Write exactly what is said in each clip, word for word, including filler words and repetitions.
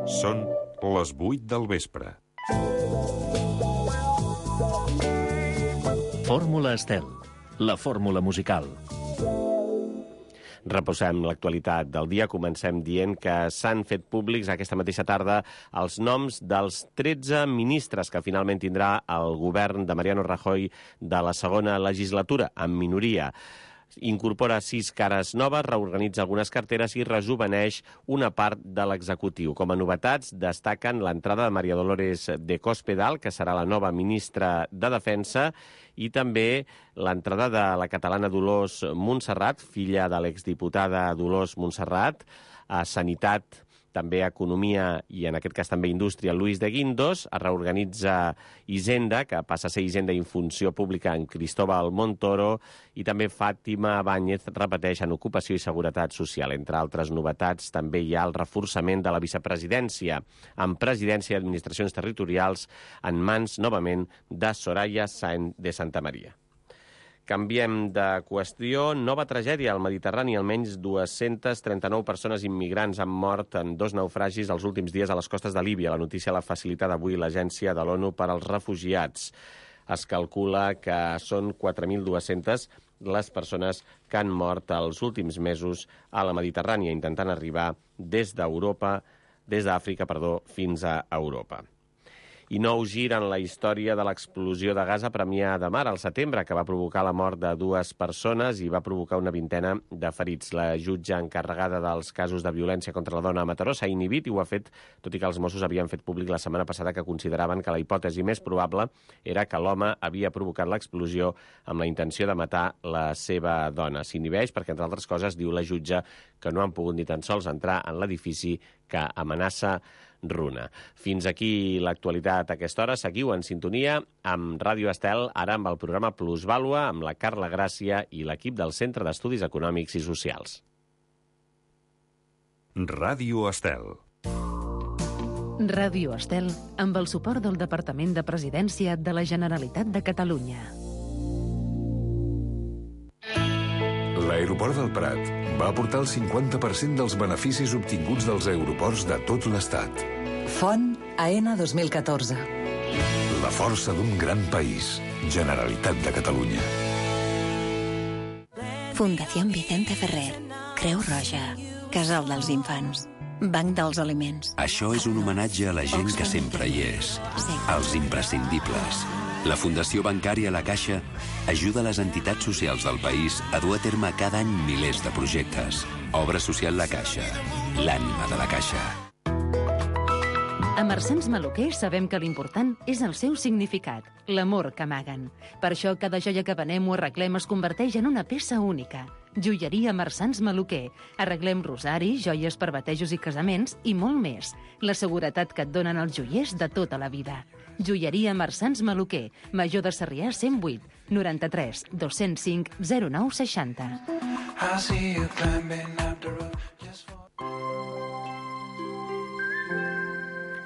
Són les vuit del vespre. Fórmula Estel, la fórmula musical. Reposem l'actualitat del dia. Comencem dient que s'han fet públics aquesta mateixa tarda els noms dels tretze ministres que finalment tindrà el govern de Mariano Rajoy de la segona legislatura, en minoria. Incorpora sis cares noves, reorganitza algunes carteres i rejuveneix una part de l'executiu. Com a novetats, destaquen l'entrada de María Dolores de Cospedal, que serà la nova ministra de Defensa, i també l'entrada de la catalana Dolors Montserrat, filla de l'exdiputada Dolors Montserrat, a Sanitat, també Economia i, en aquest cas, també Indústria, Luis de Guindos. Es reorganitza Hisenda, que passa a ser Hisenda i Funció Pública en Cristóbal Montoro, i també Fàtima Báñez repeteix en Ocupació i Seguretat Social. Entre altres novetats, també hi ha el reforçament de la vicepresidència, amb presidència i administracions territorials en mans, novament, de Soraya Sáenz de Santamaría. Canviem de qüestió. Nova tragèdia al Mediterrani. Almenys dues-centes trenta-nou persones immigrants han mort en dos naufragis els últims dies a les costes de Líbia. La notícia l'ha facilitat avui l'Agència de l'ONU per als Refugiats. Es calcula que són quatre mil dues-centes les persones que han mort els últims mesos a la Mediterrània, intentant arribar des d'Europa, des d'Àfrica, perdó, fins a Europa. I nou gir en la història de l'explosió de gas a Premià de Mar al setembre, que va provocar la mort de dues persones i va provocar una vintena de ferits. La jutge encarregada dels casos de violència contra la dona a Mataró s'ha inhibit i ho ha fet, tot i que els Mossos havien fet públic la setmana passada que consideraven que la hipòtesi més probable era que l'home havia provocat l'explosió amb la intenció de matar la seva dona. S'inhibeix perquè, entre altres coses, diu la jutge que no han pogut ni tan sols entrar en l'edifici que amenaça Runa. Fins aquí l'actualitat a aquesta hora. Seguiu en sintonia amb Ràdio Estel, ara amb el programa Plusvàlua, amb la Carla Gràcia i l'equip del Centre d'Estudis Econòmics i Socials. Ràdio Estel. Ràdio Estel, amb el suport del Departament de Presidència de la Generalitat de Catalunya. L'aeroport del Prat va aportar el cinquanta per cent dels beneficis obtinguts dels aeroports de tot l'Estat. Font A N dos mil catorze. La força d'un gran país. Generalitat de Catalunya. Fundació Vicente Ferrer. Creu Roja. Casal dels Infants. Banc dels Aliments. Això és un homenatge a la gent que sempre hi és. Els imprescindibles. La Fundació Bancària La Caixa ajuda les entitats socials del país a dur a terme cada any milers de projectes. Obra social La Caixa. L'ànima de la Caixa. A Marsans Maluquer sabem que l'important és el seu significat, l'amor que amaguen. Per això cada joia que venem o arreglem es converteix en una peça única. Joieria Marsans Maluquer. Arreglem rosaris, joies per batejos i casaments i molt més. La seguretat que et donen els joiers de tota la vida. Joieria Marsans Maluquer, Major de Sarrià cent vuit, noranta-tres, dos-cents cinc, zero nou seixanta.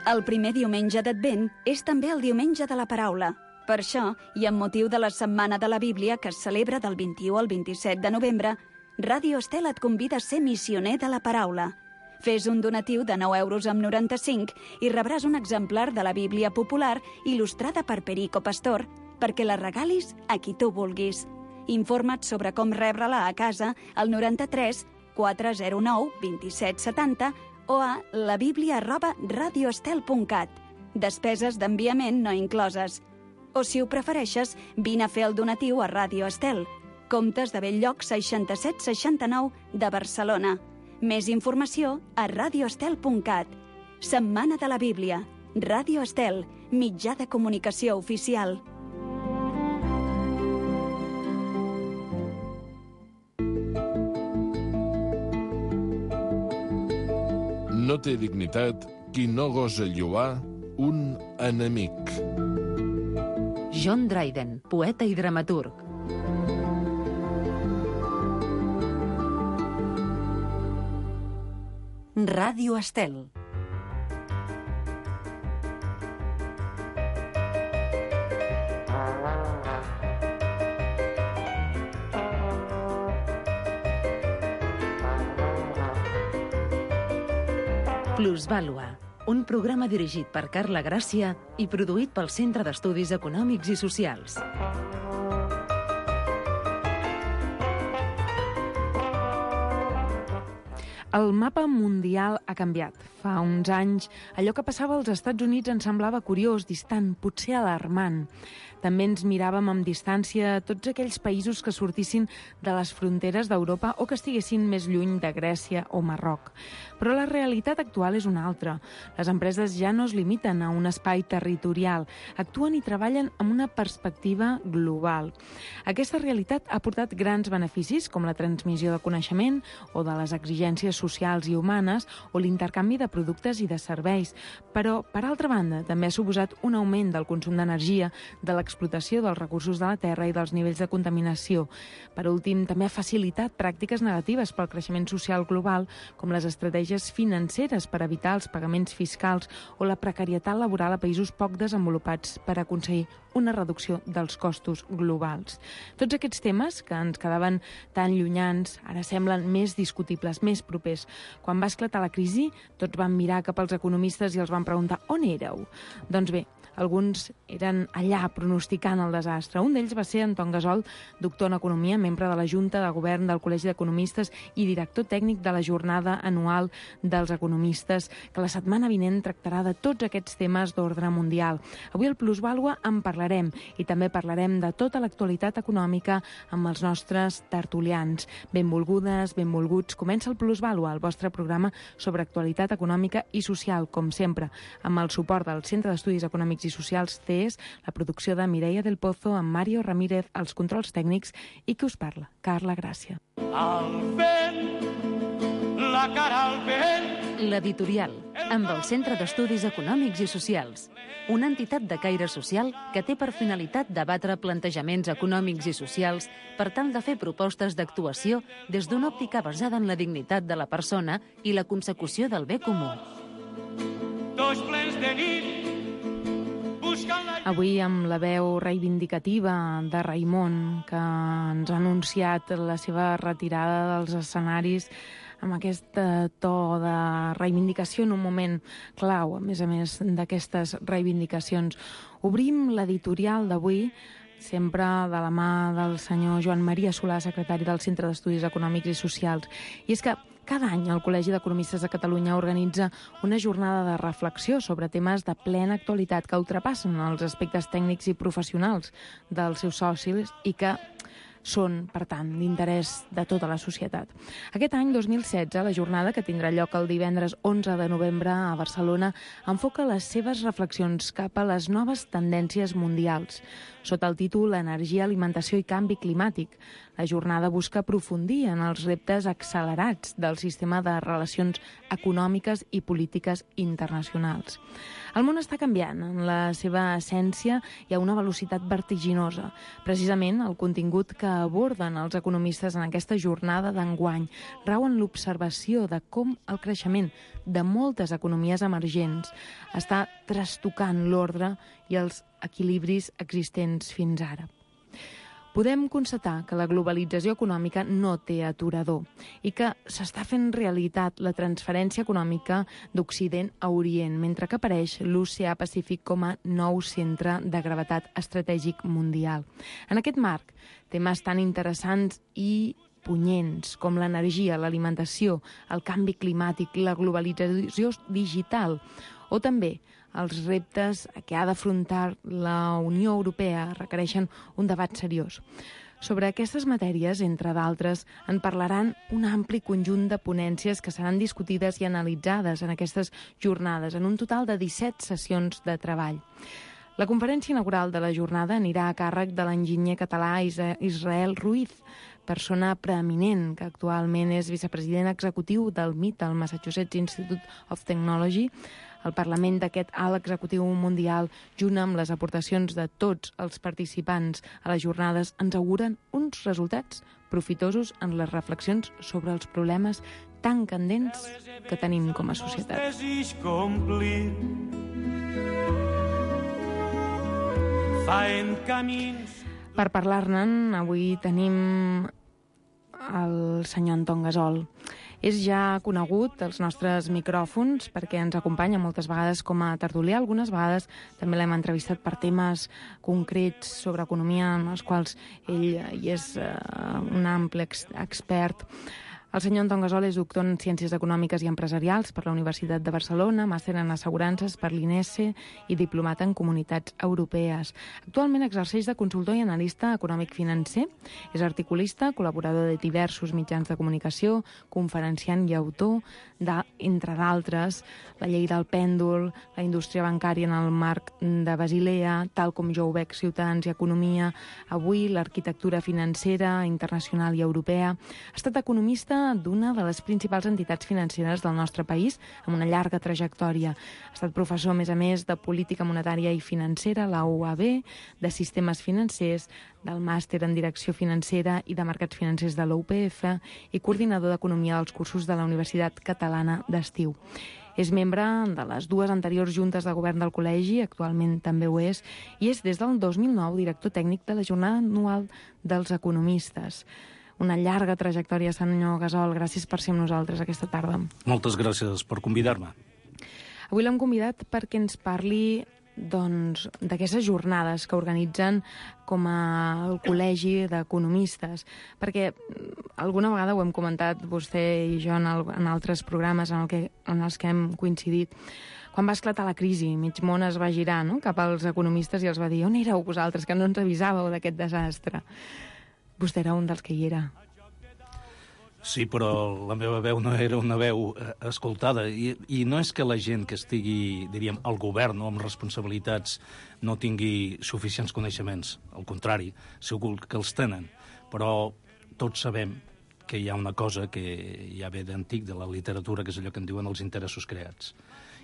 El primer diumenge d'Advent és també el diumenge de la paraula. Per això, i amb motiu de la Setmana de la Bíblia, que es celebra del vint-i-u al vint-i-set de novembre, Ràdio Estel et convida a ser missioner de la paraula. Fes un donatiu de nou euros amb noranta-cinc i rebràs un exemplar de la Bíblia popular il·lustrada per Perico Pastor perquè la regalis a qui tu vulguis. Informa't sobre com rebre-la a casa al noranta-tres quatre zero nou vint-i-set setanta o a labiblia arroba radioestel punt cat. Despeses d'enviament no incloses. O, si ho prefereixes, vine a fer el donatiu a Ràdio Estel. Comptes de Belllloc seixanta-set seixanta-nou de Barcelona. Més informació a radioestel punt cat. Setmana de la Bíblia. Ràdio Estel, mitjà de comunicació oficial. No té dignitat qui no gosa lloar un enemic. John Dryden, poeta i dramaturg. Ràdio Estel. Plusvàlua, un programa dirigit per Carla Gràcia i produït pel Centre d'Estudis Econòmics i Socials. El mapa mundial ha canviat. Fa uns anys, allò que passava als Estats Units ens semblava curiós, distant, potser alarmant. També ens miràvem amb distància tots aquells països que sortissin de les fronteres d'Europa o que estiguessin més lluny de Grècia o Marroc. Però la realitat actual és una altra. Les empreses ja no es limiten a un espai territorial, actuen i treballen amb una perspectiva global. Aquesta realitat ha portat grans beneficis, com la transmissió de coneixement o de les exigències socials i humanes o l'intercanvi de productes i de serveis. Però, per altra banda, també ha suposat un augment del consum d'energia, de l'explotació dels recursos de la terra i dels nivells de contaminació. Per últim, també ha facilitat pràctiques negatives pel creixement social global, com les estratègies financeres per evitar els pagaments fiscals o la precarietat laboral a països poc desenvolupats per aconseguir una reducció dels costos globals. Tots aquests temes, que ens quedaven tan llunyans, ara semblen més discutibles, més propers. Quan va esclatar la crisi, tots van mirar cap als economistes i els van preguntar on éreu? Doncs bé, alguns eren allà pronosticant el desastre. Un d'ells va ser Anton Gasol, doctor en Economia, membre de la Junta de Govern del Col·legi d'Economistes i director tècnic de la Jornada Anual dels Economistes, que la setmana vinent tractarà de tots aquests temes d'ordre mundial. Avui al Plusvàlua en parlarem i també parlarem de tota l'actualitat econòmica amb els nostres tertulians. Benvolgudes, benvolguts, comença el Plusvàlua, el vostre programa sobre actualitat econòmica i social, com sempre, amb el suport del Centre d'Estudis Econòmics i Socials C E S, la producció de Mireia del Pozo, amb Mario Ramírez, els controls tècnics, i qui us parla, Carla Gràcia. Al vent, la cara al vent. L'editorial, amb el Centre d'Estudis Econòmics i Socials, una entitat de caire social que té per finalitat debatre plantejaments econòmics i socials per tal de fer propostes d'actuació des d'una òptica basada en la dignitat de la persona i la consecució del bé comú. Dos plens de nit. Avui amb la veu reivindicativa de Raimon, que ens ha anunciat la seva retirada dels escenaris amb aquest to de reivindicació en un moment clau, a més a més d'aquestes reivindicacions. Obrim l'editorial d'avui, sempre de la mà del senyor Joan Maria Solà, secretari del Centre d'Estudis Econòmics i Socials. I és que cada any el Col·legi d'Economistes de Catalunya organitza una jornada de reflexió sobre temes de plena actualitat que ultrapassen els aspectes tècnics i professionals dels seus socis i que són, per tant, d'interès de tota la societat. Aquest any, dos mil setze, la jornada, que tindrà lloc el divendres onze de novembre a Barcelona, enfoca les seves reflexions cap a les noves tendències mundials. Sota el títol Energia, alimentació i canvi climàtic, la jornada busca aprofundir en els reptes accelerats del sistema de relacions econòmiques i polítiques internacionals. El món està canviant en la seva essència i a una velocitat vertiginosa. Precisament el contingut que aborden els economistes en aquesta jornada d'enguany rau en l'observació de com el creixement de moltes economies emergents està trastocant l'ordre i els equilibris existents fins ara. Podem constatar que la globalització econòmica no té aturador i que s'està fent realitat la transferència econòmica d'Occident a Orient, mentre que apareix l'Oceà Pacífic com a nou centre de gravetat estratègic mundial. En aquest marc, temes tan interessants i punyents com l'energia, l'alimentació, el canvi climàtic, la globalització digital o també els reptes que ha d'afrontar la Unió Europea requereixen un debat seriós. Sobre aquestes matèries, entre d'altres, en parlaran un ampli conjunt de ponències que seran discutides i analitzades en aquestes jornades, en un total de disset sessions de treball. La conferència inaugural de la jornada anirà a càrrec de l'enginyer català Israel Ruiz, persona preeminent que actualment és vicepresident executiu del M I T, el Massachusetts Institute of Technology. El Parlament d'aquest alt executiu mundial, junt amb les aportacions de tots els participants a les jornades, ens auguren uns resultats profitosos en les reflexions sobre els problemes tan candents que tenim com a societat. Per parlar-ne, avui tenim el senyor Anton Gasol. És ja conegut als nostres micròfons perquè ens acompanya moltes vegades com a tertulià. Algunes vegades també l'hem entrevistat per temes concrets sobre economia en els quals ell hi és eh, un ample ex expert. El senyor Anton Gasol és doctor en Ciències Econòmiques i Empresarials per la Universitat de Barcelona, màster en Assegurances per l'I N E S E i diplomat en Comunitats Europees. Actualment exerceix de consultor i analista econòmic financer, és articulista, col·laborador de diversos mitjans de comunicació, conferenciant i autor, de, entre d'altres, la llei del pèndol, la indústria bancària en el marc de Basilea, tal com jo ho veig, Ciutadans i Economia, avui l'arquitectura financera internacional i europea. Ha estat economista d'una de les principals entitats financeres del nostre país, amb una llarga trajectòria. Ha estat professor, a més a més, de Política Monetària i Financera, la U A B, de Sistemes Financers, del Màster en Direcció Financera i de Mercats Financers de la U P F i coordinador d'Economia dels cursos de la Universitat Catalana d'Estiu. És membre de les dues anteriors juntes de govern del col·legi, actualment també ho és, i és des del dos mil nou director tècnic de la Jornada Anual dels Economistes. Una llarga trajectòria, senyor Gasol. Gràcies per ser amb nosaltres aquesta tarda. Moltes gràcies per convidar-me. Avui l'hem convidat perquè ens parli doncs, d'aquestes jornades que organitzen com a Col·legi d'Economistes, perquè alguna vegada ho hem comentat vostè i jo en, el, en altres programes en, el que, en els que hem coincidit. Quan va esclatar la crisi, mig món es va girar, no?, cap als economistes i els va dir: on éreu vosaltres, que no ens avisàveu d'aquest desastre? Vostè era un dels que hi era. Sí, però la meva veu no era una veu eh, escoltada. I, I no és que la gent que estigui, diríem, al govern o amb responsabilitats no tingui suficients coneixements. Al contrari, segur que els tenen. Però tots sabem que hi ha una cosa que ja ve d'antic de la literatura, que és allò que en diuen els interessos creats.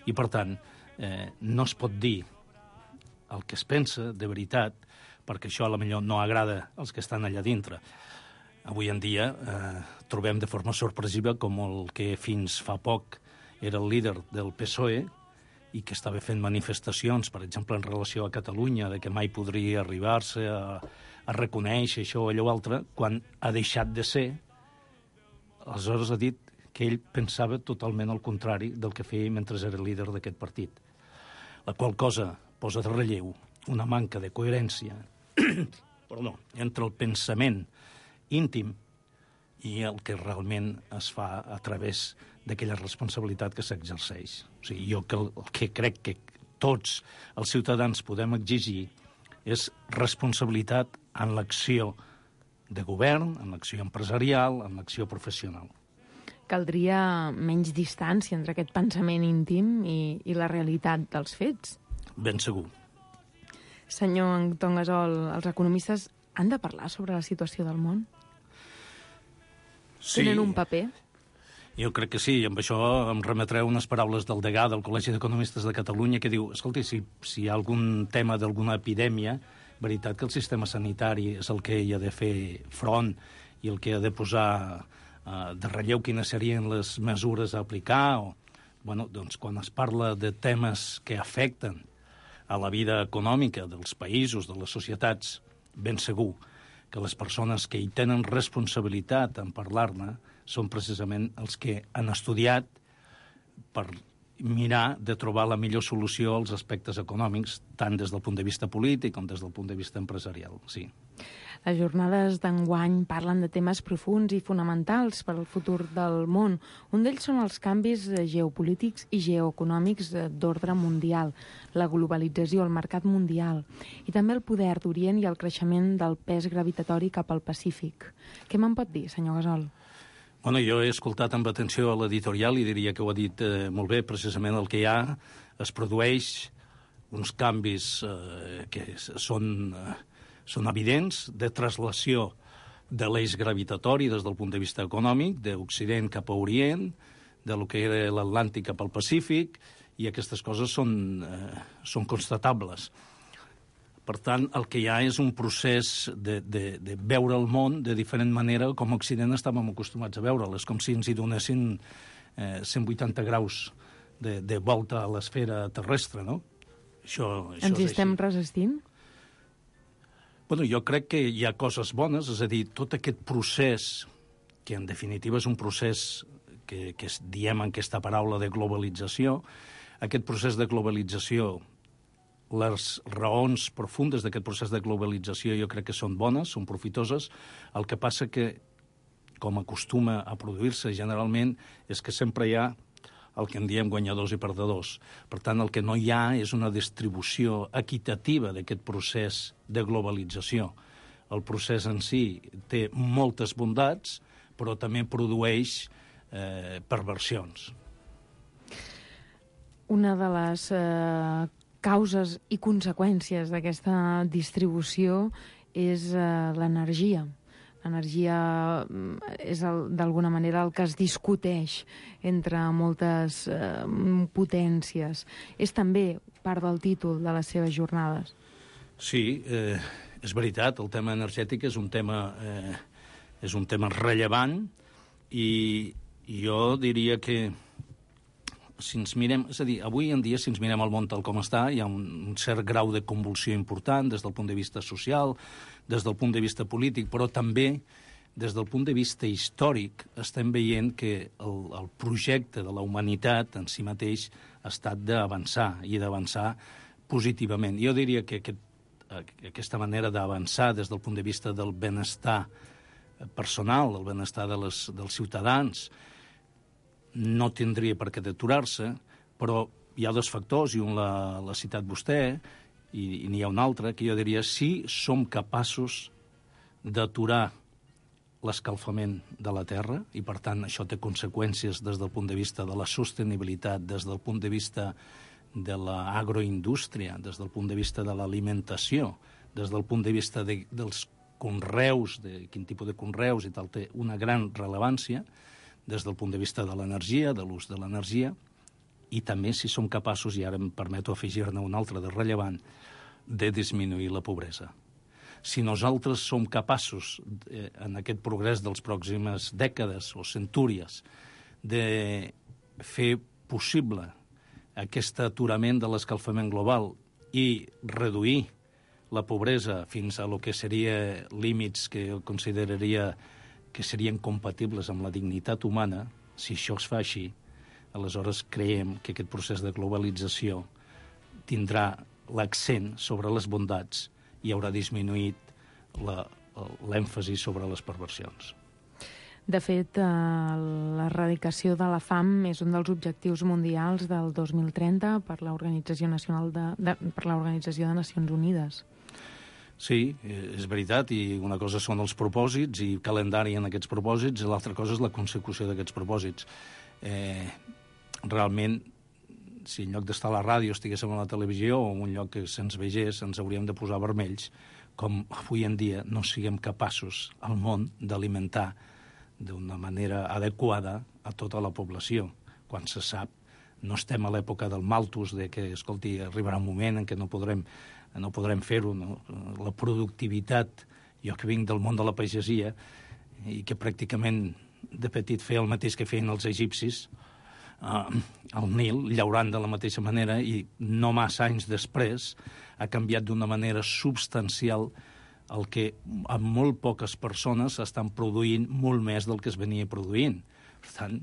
I, per tant, eh, no es pot dir el que es pensa de veritat, perquè això a la millor no agrada als que estan allà dintre. Avui en dia eh, trobem de forma sorpresiva com el que fins fa poc era el líder del P S O E i que estava fent manifestacions, per exemple, en relació a Catalunya, de que mai podria arribar-se a, a reconèixer això o allò altre, quan ha deixat de ser, aleshores ha dit que ell pensava totalment el contrari del que feia mentre era líder d'aquest partit. La qual cosa posa de relleu una manca de coherència perdó, entre el pensament íntim i el que realment es fa a través d'aquella responsabilitat que s'exerceix. O sigui, jo que, el que crec que tots els ciutadans podem exigir és responsabilitat en l'acció de govern, en l'acció empresarial, en l'acció professional. Caldria menys distància entre aquest pensament íntim i, i la realitat dels fets. Ben segur. Senyor Anton Gasol, els economistes han de parlar sobre la situació del món? Sí. Tenen un paper? Jo crec que sí, i amb això em remetreu unes paraules del degà del Col·legi d'Economistes de Catalunya que diu, escolti, si, si hi ha algun tema d'alguna epidèmia, veritat que el sistema sanitari és el que hi ha de fer front i el que ha de posar eh, de relleu quines serien les mesures a aplicar. O, bueno, doncs quan es parla de temes que afecten a la vida econòmica dels països, de les societats, ben segur que les persones que hi tenen responsabilitat en parlar-ne són precisament els que han estudiat per mirar de trobar la millor solució als aspectes econòmics, tant des del punt de vista polític com des del punt de vista empresarial, sí. Les jornades d'enguany parlen de temes profuns i fonamentals per al futur del món. Un d'ells són els canvis geopolítics i geoeconòmics d'ordre mundial, la globalització, el mercat mundial, i també el poder d'Orient i el creixement del pes gravitatori cap al Pacífic. Què me'n pot dir, senyor Gasol? Bueno, jo he escoltat amb atenció a l'editorial i diria que ho ha dit eh, molt bé. Precisament el que hi ha es produeix uns canvis eh, que són... Eh, són evidents, de traslació de l'eix gravitatori des del punt de vista econòmic, d'Occident cap a Orient, de lo que era l'Atlàntic cap al Pacífic, i aquestes coses són, eh, són constatables. Per tant, el que hi ha és un procés de, de, de veure el món de diferent manera com a Occident estàvem acostumats a veure'l. És com si ens hi donessin eh, cent vuitanta graus de, de volta a l'esfera terrestre, no? Això, això ens hi estem resistint? Bueno, jo crec que hi ha coses bones, és a dir, tot aquest procés, que en definitiva és un procés que, que diem en aquesta paraula de globalització. Aquest procés de globalització, les raons profundes d'aquest procés de globalització jo crec que són bones, són profitoses. El que passa que, com acostuma a produir-se generalment, és que sempre hi ha el que en diem guanyadors i perdedors. Per tant, el que no hi ha és una distribució equitativa d'aquest procés de globalització. El procés en si té moltes bondats, però també produeix eh, perversions. Una de les eh, causes i conseqüències d'aquesta distribució és eh, l'energia. L'energia és d'alguna manera el que es discuteix entre moltes eh, potències. És també part del títol de les seves jornades. Sí, eh, és veritat, el tema energètic és un tema, eh, és un tema rellevant i, i jo diria que si ens mirem, és a dir, avui en dia, si ens mirem el món tal com està, hi ha un, un cert grau de convulsió important des del punt de vista social, des del punt de vista polític, però també des del punt de vista històric estem veient que el, el projecte de la humanitat en si mateix ha estat d'avançar i d'avançar positivament. Jo diria que aquest, aquesta manera d'avançar des del punt de vista del benestar personal, el benestar de les, dels ciutadans, no tindria per què d'aturar-se, però hi ha dos factors, i un l'ha citat vostè, i, i n'hi ha un altre, que jo diria, si som capaços d'aturar l'escalfament de la Terra, i per tant això té conseqüències des del punt de vista de la sostenibilitat, des del punt de vista de l'agroindústria, des del punt de vista de l'alimentació, des del punt de vista de, dels conreus, de quin tipus de conreus i tal, té una gran rellevància, des del punt de vista de l'energia, de l'ús de l'energia, i també si som capaços, i ara em permeto afegir-ne un altre de rellevant, de disminuir la pobresa. Si nosaltres som capaços, eh, en aquest progrés dels pròximes dècades o centúries, de fer possible aquest aturament de l'escalfament global i reduir la pobresa fins a lo que seria límits que jo consideraria que serien compatibles amb la dignitat humana, si això es fa així, aleshores creiem que aquest procés de globalització tindrà l'accent sobre les bondats i haurà disminuït l'èmfasi sobre les perversions. De fet, eh, l'erradicació de la fam és un dels objectius mundials del dos mil trenta per l'Organització Nacional de, de, per l'Organització de Nacions Unides. Sí, és veritat, i una cosa són els propòsits i calendari en aquests propòsits, i l'altra cosa és la consecució d'aquests propòsits. Eh, realment, si en lloc d'estar a la ràdio estiguéssim a la televisió o en un lloc que se'ns vegés, ens hauríem de posar vermells, com avui en dia no siguem capaços al món d'alimentar d'una manera adequada a tota la població. Quan se sap, no estem a l'època del malthus, de que, escolti, arribarà un moment en què no podrem no podrem fer-ho, no? La productivitat, jo que vinc del món de la pagesia i que pràcticament de petit feia el mateix que feien els egipcis uh, al Nil, llaurant de la mateixa manera, i no massa anys després ha canviat d'una manera substancial el que amb molt poques persones estan produint molt més del que es venia produint. Per tant,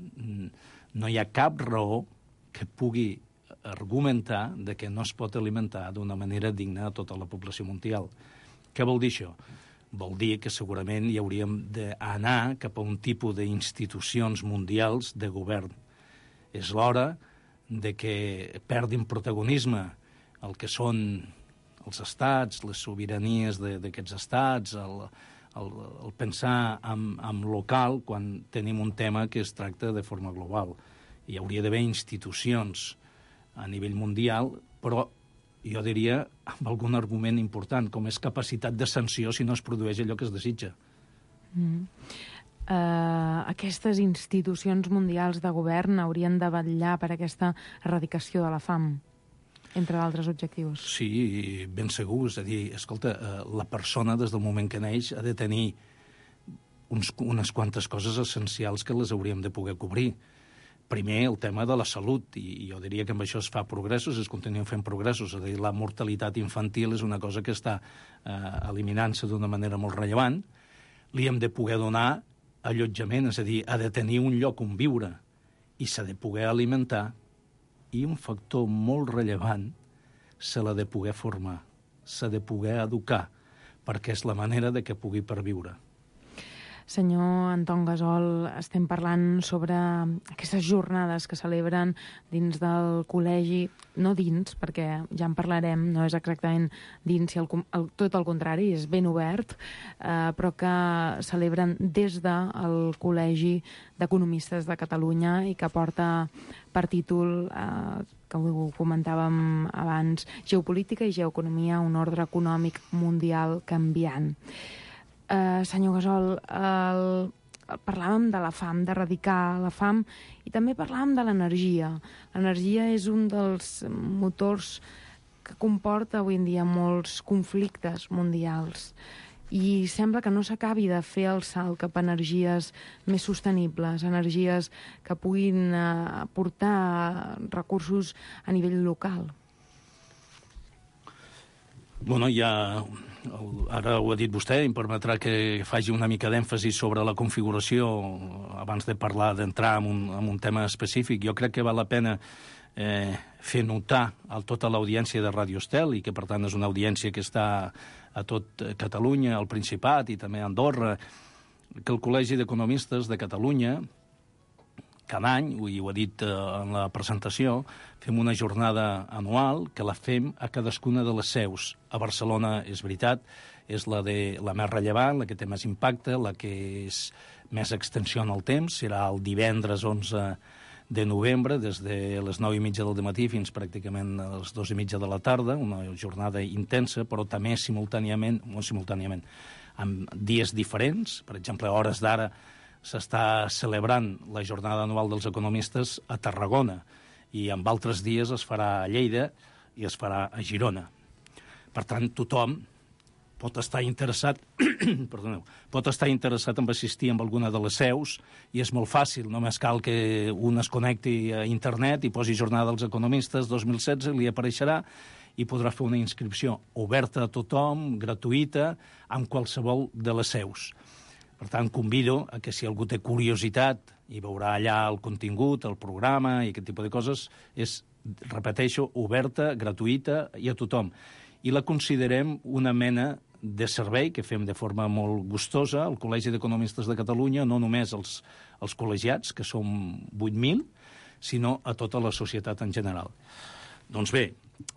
no hi ha cap raó que pugui argumentar de que no es pot alimentar d'una manera digna a tota la població mundial. Què vol dir això? Vol dir que segurament hi hauríem d'anar cap a un tipus d'institucions mundials de govern. És l'hora de que perdin protagonisme el que són els estats, les sobiranies d'aquests estats, el, el, el pensar en, en local quan tenim un tema que es tracta de forma global. Hi hauria d'haver institucions a nivell mundial, però jo diria amb algun argument important, com és capacitat de sanció si no es produeix allò que es desitja. Mm. Uh, aquestes institucions mundials de govern haurien de vetllar per aquesta erradicació de la fam, entre d'altres objectius. Sí, ben segur. És a dir, escolta, la persona des del moment que neix ha de tenir uns, unes quantes coses essencials que les hauríem de poder cobrir. Primer, el tema de la salut, i jo diria que amb això es fa progressos, es continuen fent progressos. És a dir, la mortalitat infantil és una cosa que està eh, eliminant-se d'una manera molt rellevant. Li hem de poder donar allotjament, és a dir, ha de tenir un lloc on viure. i s'ha de poder alimentar, i un factor molt rellevant, se l'ha de poder formar, s'ha de poder educar, perquè és la manera de que pugui perviure. Senyor Anton Gasol, estem parlant sobre aquestes jornades que celebren dins del col·legi, no dins, perquè ja en parlarem, no és exactament dins, si el, el, tot el contrari, és ben obert, eh, però que celebren des del Col·legi d'Economistes de Catalunya i que porta per títol, eh, que ho comentàvem abans, Geopolítica i Geoeconomia, un ordre econòmic mundial canviant. Uh, senyor Gasol, el, parlàvem de la fam, d'erradicar la fam, i també parlàvem de l'energia. L'energia és un dels motors que comporta avui en dia molts conflictes mundials i sembla que no s'acabi de fer el salt cap a energies més sostenibles, energies que puguin uh, aportar recursos a nivell local. Bueno, ja... Ara ho ha dit vostè, em permetrà que faci una mica d'èmfasi sobre la configuració abans de parlar, d'entrar en un, en un tema específic. Jo crec que val la pena eh, fer notar a tota l'audiència de Ràdio Estel, i que per tant és una audiència que està a tot Catalunya, al Principat i també a Andorra, que el Col·legi d'Economistes de Catalunya cada any, i ho ha dit eh, en la presentació, fem una jornada anual que la fem a cadascuna de les seus. A Barcelona, és veritat, és la, de, la més rellevant, la que té més impacte, la que és més extensió en el temps. Serà el divendres onze de novembre, des de les nou i mitja del matí fins pràcticament a les dues i mitja de la tarda, una jornada intensa, però també simultàniament, molt simultàniament, amb dies diferents. Per exemple, a hores d'ara s'està celebrant la jornada anual dels economistes a Tarragona, i en altres dies es farà a Lleida i es farà a Girona. Per tant, tothom pot estar interessat perdoneu, pot estar interessat en assistir a alguna de les seus, i és molt fàcil, només cal que un es connecti a internet i posi jornada dels economistes dos mil setze, li apareixerà i podrà fer una inscripció oberta a tothom, gratuïta, en qualsevol de les seus. Per tant, convido a que si algú té curiositat i veurà allà el contingut, el programa i aquest tipus de coses, és, repeteixo, oberta, gratuïta i a tothom. I la considerem una mena de servei que fem de forma molt gustosa al Col·legi d'Economistes de Catalunya, no només als, als col·legiats, que som vuit mil, sinó a tota la societat en general. Doncs bé,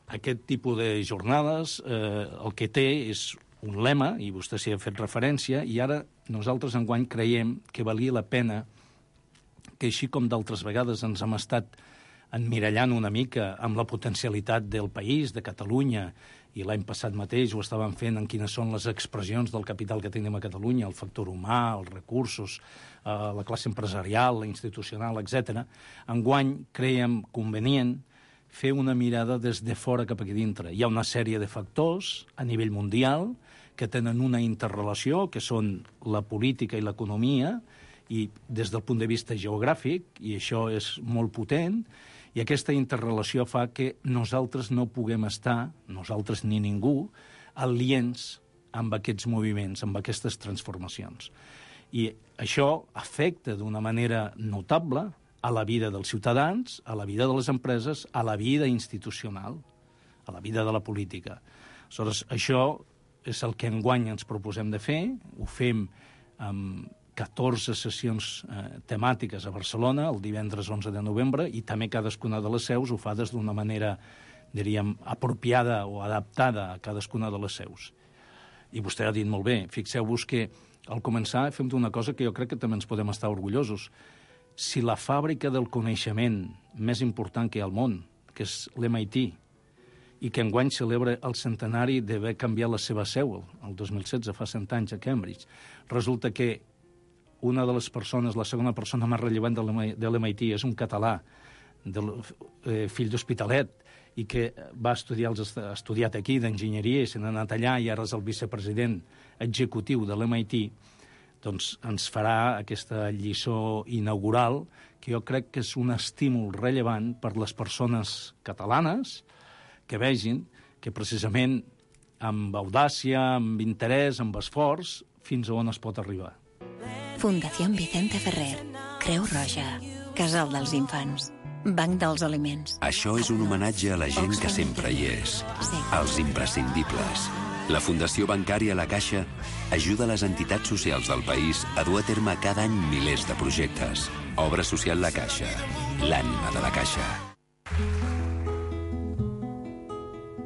aquest tipus de jornades eh, el que té és un lema, i vostè s'hi ha fet referència, i ara nosaltres enguany creiem que valia la pena que, així com d'altres vegades ens hem estat emmirallant una mica amb la potencialitat del país, de Catalunya, i l'any passat mateix ho estàvem fent en quines són les expressions del capital que tenim a Catalunya, el factor humà, els recursos, eh, la classe empresarial, la institucional, etcètera. Enguany creiem convenient fer una mirada des de fora cap aquí dintre. Hi ha una sèrie de factors a nivell mundial que tenen una interrelació, que són la política i l'economia, i des del punt de vista geogràfic, i això és molt potent, i aquesta interrelació fa que nosaltres no puguem estar, nosaltres ni ningú, aliens amb aquests moviments, amb aquestes transformacions. I això afecta d'una manera notable a la vida dels ciutadans, a la vida de les empreses, a la vida institucional, a la vida de la política. Aleshores, això és el que enguany ens proposem de fer. Ho fem amb catorze sessions eh, temàtiques a Barcelona, el divendres onze de novembre, i també cadascuna de les seus ho fa des d'una manera, diríem, apropiada o adaptada a cadascuna de les seus. I vostè ha dit molt bé, fixeu-vos que al començar fem una cosa que jo crec que també ens podem estar orgullosos. Si la fàbrica del coneixement més important que hi ha al món, que és l'M I T, i que enguany celebra el centenari d'haver canviat la seva seu, el dos mil setze, fa cent anys, a Cambridge, resulta que una de les persones, la segona persona més rellevant de l'M I T, és un català, del, eh, fill d'Hospitalet, i que va estudiar, ha estudiat aquí d'enginyeria i se n'ha anat allà i ara és el vicepresident executiu de l'M I T, doncs ens farà aquesta lliçó inaugural que jo crec que és un estímul rellevant per les persones catalanes que vegin que precisament amb audàcia, amb interès, amb esforç, fins a on es pot arribar. Fundación Vicente Ferrer, Creu Roja. Casal dels Infants. Banc dels Aliments. Això és un homenatge a la gent que sempre hi és. Els imprescindibles. La Fundació Bancària La Caixa ajuda les entitats socials del país a dur a terme cada any milers de projectes. Obra social La Caixa. L'ànima de la Caixa.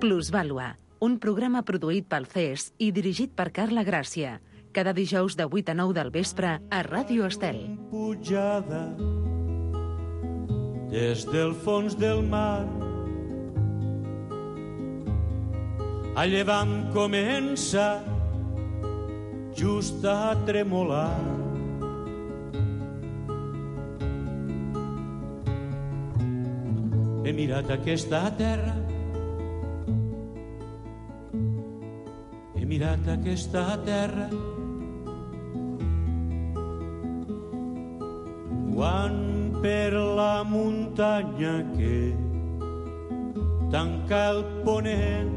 Plusvàlua, un programa produït pel C E S i dirigit per Carla Gràcia. Cada dijous de vuit a nou del vespre a Ràdio Estel. Pujada des del fons del mar, a llevant comença just a tremolar. He mirat aquesta terra, he mirat aquesta terra, quan per la muntanya que tanca el ponent.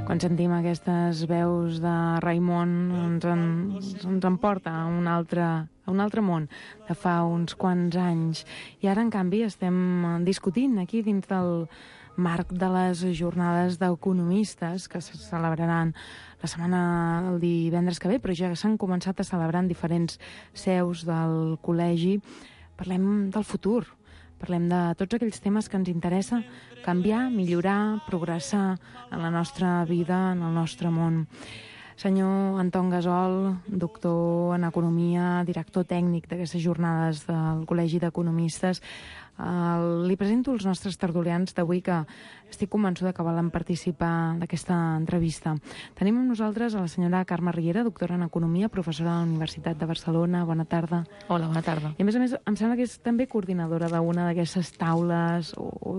Quan sentim aquestes veus de Raimon ens en, ens emporta a un altre, a un altre món de fa uns quants anys. I ara, en canvi, estem discutint aquí dins del marc de les jornades d'economistes que se celebraran la setmana del divendres que ve, però ja s'han començat a celebrar en diferents seus del col·legi. Parlem del futur, parlem de tots aquells temes que ens interessa canviar, millorar, progressar en la nostra vida, en el nostre món. Senyor Anton Gasol, doctor en Economia, director tècnic d'aquestes jornades del Col·legi d'Economistes, Uh, li presento els nostres tertulians d'avui que estic convençuda que volen participar d'aquesta entrevista. Tenim amb nosaltres a la senyora Carme Riera, doctora en Economia, professora de la Universitat de Barcelona. Bona tarda. Hola, bona tarda. I a més a més em sembla que és també coordinadora d'una d'aquestes taules o, o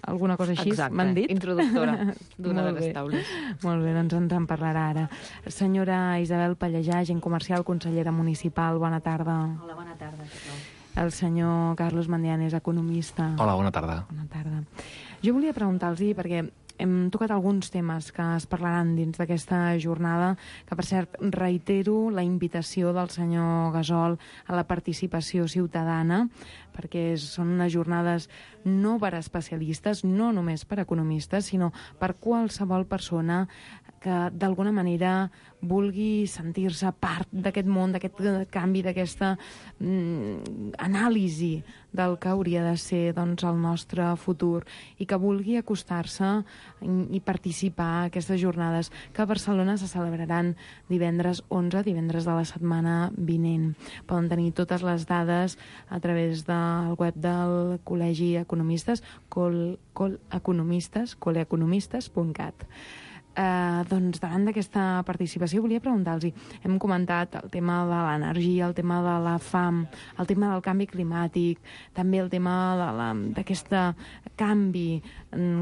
alguna cosa així, m'han dit? Introductora d'una de les taules. Molt bé, doncs ens en parlarà ara. Senyora Isabel Pallejà, agent comercial, consellera municipal, bona tarda. Hola, bona tarda. El senyor Carlos Mandianes, economista. Hola, bona tarda. Bona tarda. Jo volia preguntar-los, perquè hem tocat alguns temes que es parlaran dins d'aquesta jornada, que per cert reitero la invitació del senyor Gasol a la participació ciutadana, perquè són unes jornades no per especialistes, no només per economistes, sinó per qualsevol persona que d'alguna manera vulgui sentir-se part d'aquest món, d'aquest canvi, d'aquesta mm, anàlisi del que hauria de ser doncs, el nostre futur i que vulgui acostar-se i participar a aquestes jornades que a Barcelona se celebraran divendres onze, divendres de la setmana vinent. Poden tenir totes les dades a través del web del Col·legi Economistes, col, col economistes, coleeconomistes punt cat. Uh, doncs davant d'aquesta participació volia preguntar-los, hem comentat el tema de l'energia, el tema de la fam, el tema del canvi climàtic, també el tema d'aquest canvi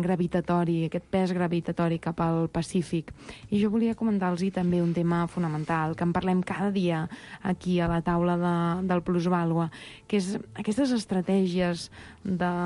gravitatori, aquest pes gravitatori cap al Pacífic. I jo volia comentar-los també un tema fonamental, que en parlem cada dia aquí a la taula de, del Plusvàlua, que és aquestes estratègies de,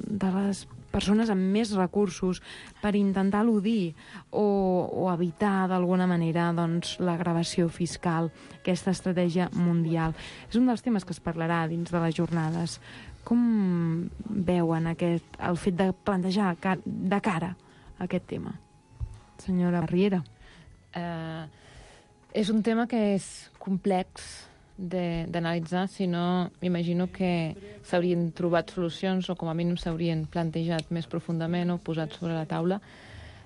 de les persones amb més recursos per intentar eludir o, o evitar d'alguna manera doncs, la gravació fiscal, aquesta estratègia mundial. És un dels temes que es parlarà dins de les jornades. Com veuen aquest, el fet de plantejar de cara a aquest tema? Senyora Riera. Uh, és un tema que és complex d'analitzar, si no m'imagino que s'haurien trobat solucions o com a mínim s'haurien plantejat més profundament o posat sobre la taula.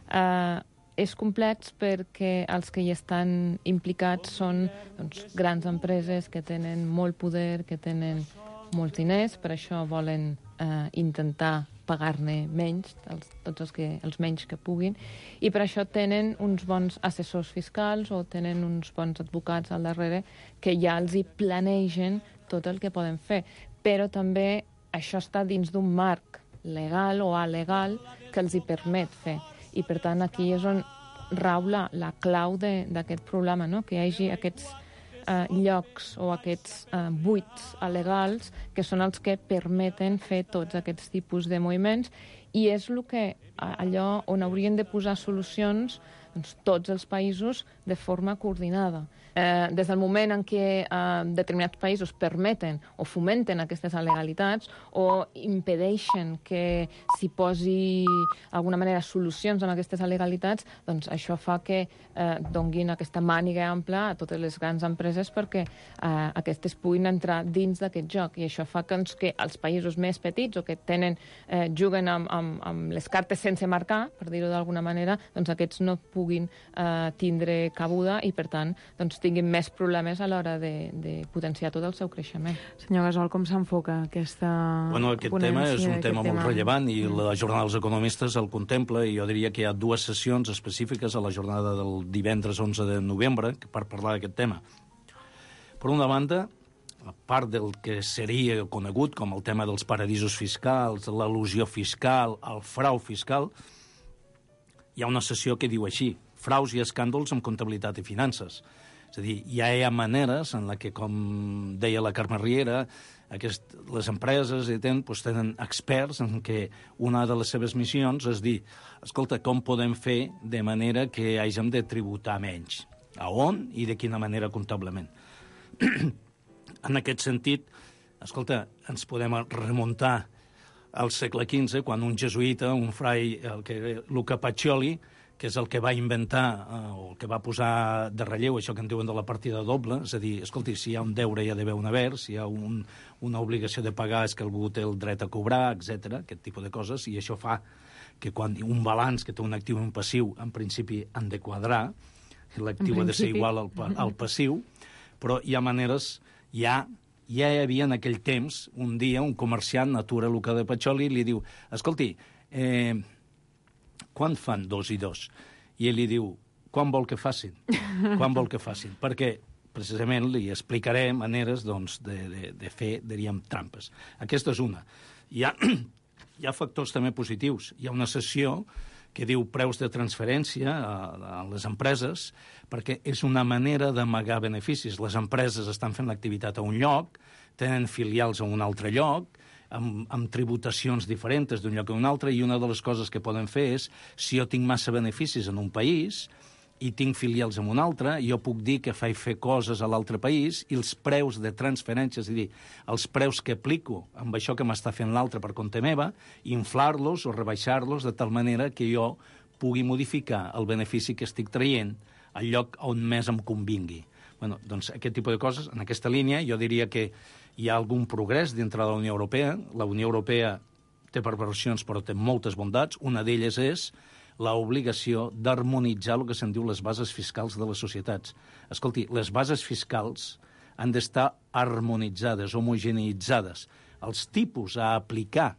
Uh, és complex perquè els que hi estan implicats són doncs, grans empreses que tenen molt poder, que tenen molts diners, per això volen uh, intentar pagar-ne menys, els, tots els, que, els menys que puguin, i per això tenen uns bons assessors fiscals o tenen uns bons advocats al darrere que ja els hi planegen tot el que poden fer. Però també això està dins d'un marc legal o alegal que els hi permet fer. I per tant aquí és on rau la, la clau d'aquest problema, no? Que hi hagi aquests eh, llocs o aquests eh, buits alegals que són els que permeten fer tots aquests tipus de moviments, i és el que allò on haurien de posar solucions doncs, tots els països de forma coordinada. Eh, des del moment en què eh, determinats països permeten o fomenten aquestes alegalitats o impedeixen que s'hi posi d'alguna manera solucions amb aquestes alegalitats, doncs això fa que eh, donguin aquesta màniga ampla a totes les grans empreses perquè eh, aquestes puguin entrar dins d'aquest joc. I això fa que, doncs, que els països més petits o que tenen, eh, juguen amb, amb, amb les cartes sense marcar, per dir-ho d'alguna manera, doncs aquests no puguin eh, tindre cabuda i, per tant, doncs, tinguin més problemes a l'hora de, de potenciar tot el seu creixement. Senyor Gasol, com s'enfoca aquesta Bueno, aquest tema és un tema molt rellevant i la jornada dels economistes el contempla i jo diria que hi ha dues sessions específiques a la jornada del divendres onze de novembre per parlar d'aquest tema. Per una banda, a part del que seria conegut com el tema dels paradisos fiscals, l'elusió fiscal, el frau fiscal, hi ha una sessió que diu així: fraus i escàndols en comptabilitat i finances. És a dir, ja hi ha maneres en la que, com deia la Carme Riera, aquest, les empreses i ten, doncs, tenen experts en què una de les seves missions és dir, escolta, com podem fer de manera que hàgim de tributar menys? A on i de quina manera comptablement? En aquest sentit, escolta, ens podem remuntar al segle quinze, quan un jesuïta, un frai, el que, Luca Pacioli, que és el que va inventar eh, o el que va posar de relleu això que en diuen de la partida doble, és a dir, escolti, si hi ha un deure hi ha d'haver un haver, si hi ha un, una obligació de pagar és que algú té el dret a cobrar, etcètera, aquest tipus de coses, i això fa que quan un balanç que té un actiu i un passiu, en principi han de quadrar, l'actiu ha de ser igual al, al passiu, però hi ha maneres, ja, ja hi havia en aquell temps, un dia, un comerciant atura Luca de Pacioli i li diu, escolti, eh, quan fan dos i dos? I ell li diu, quan vol que facin? Quan vol que facin? Perquè, precisament, li explicaré maneres doncs, de, de, de fer, diríem, trampes. Aquesta és una. Hi ha, hi ha factors també positius. Hi ha una sessió que diu preus de transferència a, a les empreses, perquè és una manera d'amagar beneficis. Les empreses estan fent l'activitat a un lloc, tenen filials a un altre lloc, amb, amb tributacions diferents d'un lloc a un altre, i una de les coses que poden fer és, si jo tinc massa beneficis en un país i tinc filials en un altre, jo puc dir que faig fer coses a l'altre país i els preus de transferència, és a dir, els preus que aplico amb això que m'està fent l'altre per compte meva, inflar-los o rebaixar-los de tal manera que jo pugui modificar el benefici que estic traient al lloc on més em convingui. Bueno, doncs aquest tipus de coses, en aquesta línia, jo diria que hi ha algun progrés dintre de la Unió Europea. La Unió Europea té perversions, però té moltes bondats. Una d'elles és l'obligació d'harmonitzar el que se'n diu les bases fiscals de les societats. Escolti, les bases fiscals han d'estar harmonitzades, homogeneitzades. Els tipus a aplicar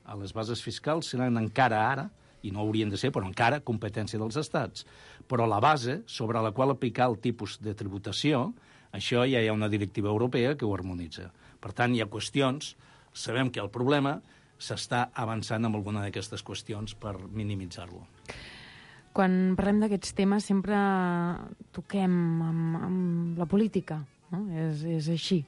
a les bases fiscals seran encara ara, i no haurien de ser, però encara, competència dels estats. Però la base sobre la qual aplicar el tipus de tributació, això ja hi ha una directiva europea que ho harmonitza. Per tant, hi ha qüestions, sabem que el problema s'està avançant amb alguna d'aquestes qüestions per minimitzar-lo. Quan parlem d'aquests temes sempre toquem amb, amb la política, no? És, és així.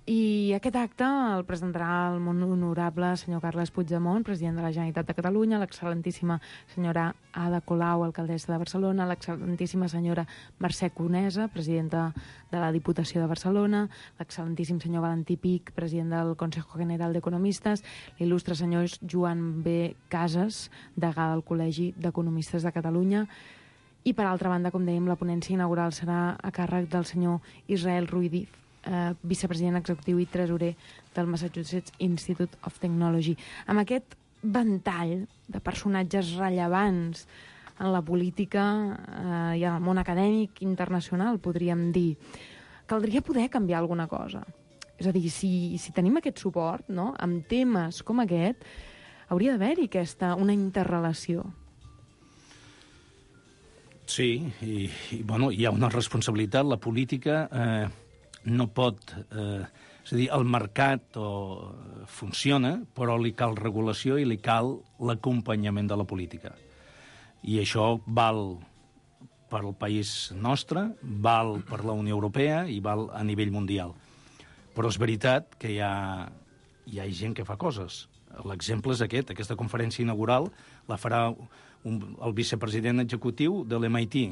I aquest acte el presentarà el molt honorable senyor Carles Puigdemont, president de la Generalitat de Catalunya, l'excel·lentíssima senyora Ada Colau, alcaldessa de Barcelona, l'excel·lentíssima senyora Mercè Conesa, presidenta de la Diputació de Barcelona, l'excel·lentíssim senyor Valentí Pic, president del Consejo General d'Economistes, l'il·lustre senyor Joan B. Casas, degà del Col·legi d'Economistes de Catalunya. I, per altra banda, com dèiem, la ponència inaugural serà a càrrec del senyor Israel Ruiz, Eh, vicepresident executiu i tresorer del Massachusetts Institute of Technology. Amb aquest ventall de personatges rellevants en la política eh, i en el món acadèmic internacional, podríem dir, caldria poder canviar alguna cosa. És a dir, si, si tenim aquest suport, no?, amb temes com aquest, hauria d'haver-hi aquesta, una interrelació. Sí, i, i bueno, hi ha una responsabilitat. La política eh, no pot... Eh, és a dir, el mercat o, funciona, però li cal regulació i li cal l'acompanyament de la política. I això val per al país nostre, val per la Unió Europea i val a nivell mundial. Però és veritat que hi ha, hi ha gent que fa coses. l'exemple és aquest. Aquesta conferència inaugural la farà un, el vicepresident executiu de l'M I T.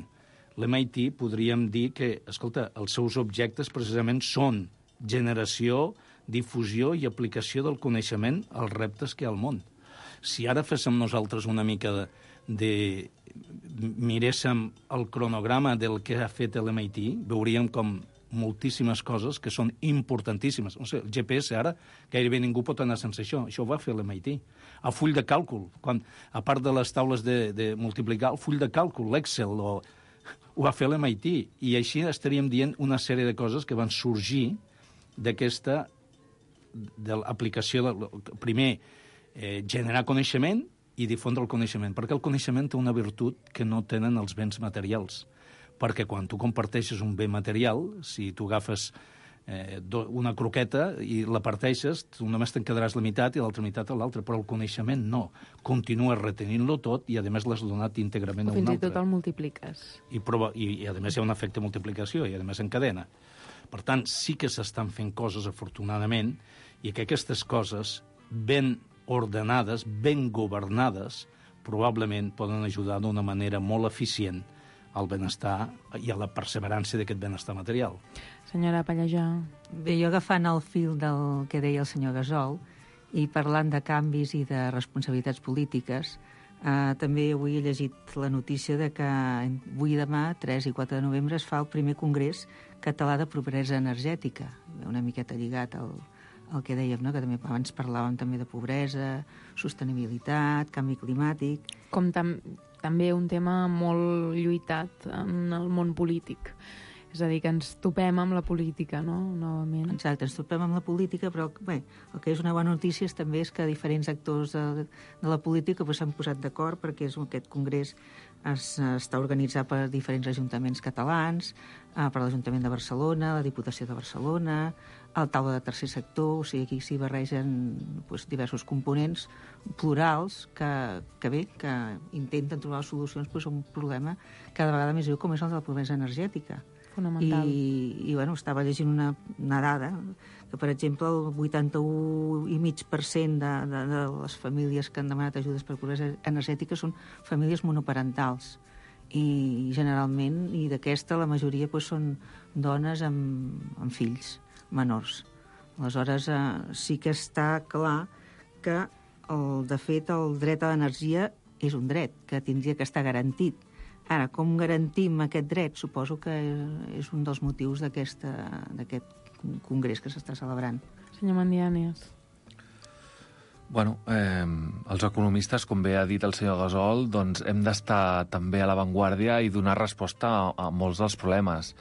L'M I T podríem dir que, escolta, els seus objectes precisament són generació, difusió i aplicació del coneixement als reptes que hi ha al món. Si ara féssim nosaltres una mica de, de miréssim el cronograma del que ha fet l'M I T, veuríem com moltíssimes coses que són importantíssimes. O sigui, el G P S ara gairebé ningú pot anar sense això. Això ho va fer l'M I T. El full de càlcul, quan, a part de les taules de, de multiplicar, el full de càlcul, l'Excel, o, ho va fer l'M I T. I així estaríem dient una sèrie de coses que van sorgir d'aquesta de l'aplicació, de, primer, eh, generar coneixement i difondre el coneixement, perquè el coneixement té una virtut que no tenen els béns materials, perquè quan tu comparteixes un bé material, si tu agafes eh, una croqueta i la parteixes, tu només te'n quedaràs la meitat i l'altra meitat a l'altra, però el coneixement no. Continues retenint-lo tot i, a més, l'has donat íntegrament a un altre. Fins i tot el multipliques. I, prova, i, i, a més, hi ha un efecte de multiplicació i, a més, encadena. Per tant, sí que s'estan fent coses, afortunadament, i que aquestes coses, ben ordenades, ben governades, probablement poden ajudar d'una manera molt eficient al benestar i a la perseverança d'aquest benestar material. Senyora Pallejà. Bé, jo agafant el fil del que deia el senyor Gasol i parlant de canvis i de responsabilitats polítiques, eh, també avui he llegit la notícia de que avui demà, tres i quatre de novembre, es fa el primer congrés català de pobresa energètica, una miqueta lligat al, al que dèiem, no? Que també abans parlàvem també de pobresa, sostenibilitat, canvi climàtic. Com tam també un tema molt lluitat en el món polític. És a dir, que ens topem amb la política, no?, novament. Exacte, ens topem amb la política, però bé, el que és una bona notícia és, també és que diferents actors de, de la política s'han posat d'acord perquè és, aquest congrés es, està organitzat per diferents ajuntaments catalans, eh, per l'Ajuntament de Barcelona, la Diputació de Barcelona, el taula de tercer sector, o sigui, aquí s'hi barregen doncs, diversos components plurals que, que bé, que intenten trobar solucions doncs, a un problema cada vegada més greu com és el de la pobresa energètica. Fonamental. I, i bueno, estava llegint una, una dada que, per exemple, el vuitanta-u coma cinc per cent de, de, de les famílies que han demanat ajudes per pobresa energètica són famílies monoparentals. I generalment, i d'aquesta, la majoria doncs, són dones amb, amb fills menors. Aleshores, eh, sí que està clar que, el, de fet, el dret a l'energia és un dret que tindria que estar garantit. Ara, com garantim aquest dret? Suposo que és un dels motius d'aquest congrés que s'està celebrant. Senyor Mandianes. Bueno, eh, els economistes, com bé ha dit el senyor Gasol, doncs hem d'estar també a l'avantguàrdia i donar resposta a, a molts dels problemes.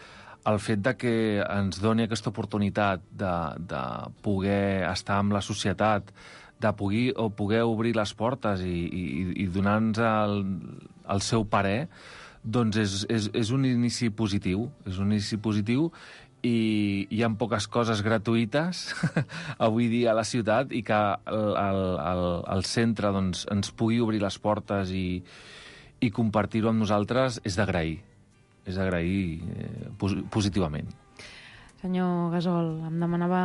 El fet de que ens doni aquesta oportunitat de, de poder estar amb la societat, de poder, o poder obrir les portes i, i, i donar-nos el, el seu parer, doncs és, és, és un inici positiu. És un inici positiu i hi ha poques coses gratuïtes avui dia a la ciutat i que el, el, el, el centre doncs, ens pugui obrir les portes i, i compartir-ho amb nosaltres és d'agrair. És d'agrair eh, positivament. Senyor Gasol, em demanava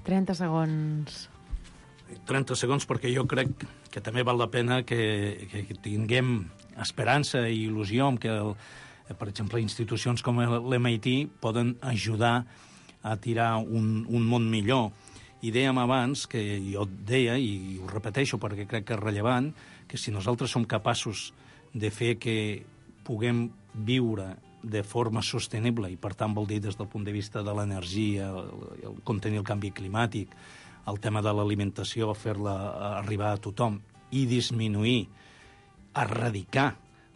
trenta segons. trenta segons perquè jo crec que també val la pena que, que tinguem esperança i il·lusió en que, el, per exemple, institucions com l'M I T poden ajudar a tirar un, un món millor. I dèiem abans, que jo deia, i ho repeteixo perquè crec que és rellevant, que si nosaltres som capaços de fer que puguem viure de forma sostenible, i per tant vol dir des del punt de vista de l'energia, el, el contenir el canvi climàtic, el tema de l'alimentació, fer-la arribar a tothom i disminuir, erradicar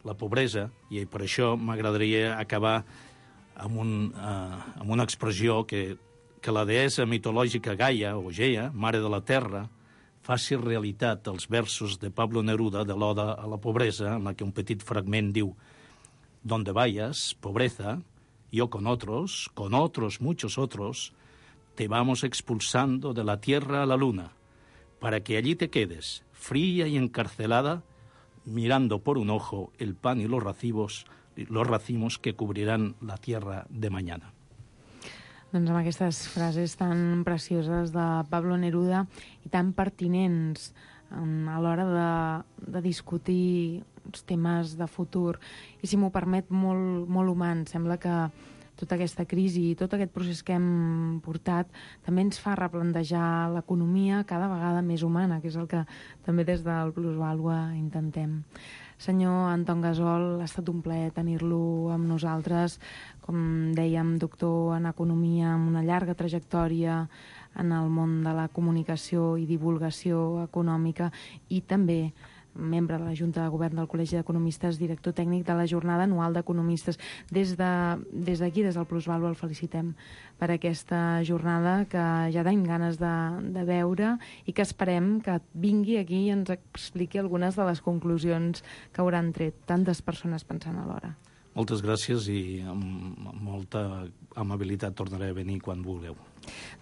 la pobresa, i per això m'agradaria acabar amb, un, uh, amb una expressió que, que la deessa mitològica Gaia, o Gea, mare de la terra, faci realitat els versos de Pablo Neruda de l'Oda a la pobresa, en la que un petit fragment diu: «Donde vayas, pobreza, yo con otros, con otros muchos otros, te vamos expulsando de la tierra a la luna, para que allí te quedes, fría y encarcelada, mirando por un ojo el pan y los racimos, los racimos que cubrirán la tierra de mañana». Doncs amb aquestes frases tan precioses de Pablo Neruda i tan pertinents a l'hora de, de discutir uns temes de futur. I si m'ho permet, molt, molt humà. Sembla que tota aquesta crisi i tot aquest procés que hem portat també ens fa replantejar l'economia cada vegada més humana, que és el que també des del Plusvàlua intentem. Senyor Anton Gasol, ha estat un plaer tenir-lo amb nosaltres. Com dèiem, doctor en Economia, amb una llarga trajectòria en el món de la comunicació i divulgació econòmica, i també membre de la Junta de Govern del Col·legi d'Economistes, director tècnic de la Jornada Anual d'Economistes. Des d'aquí, de, des, des del Plusvàlua, el felicitem per aquesta jornada que ja tenim ganes de, de veure i que esperem que vingui aquí i ens expliqui algunes de les conclusions que hauran tret tantes persones pensant alhora. Moltes gràcies i amb molta amabilitat tornaré a venir quan vulgueu.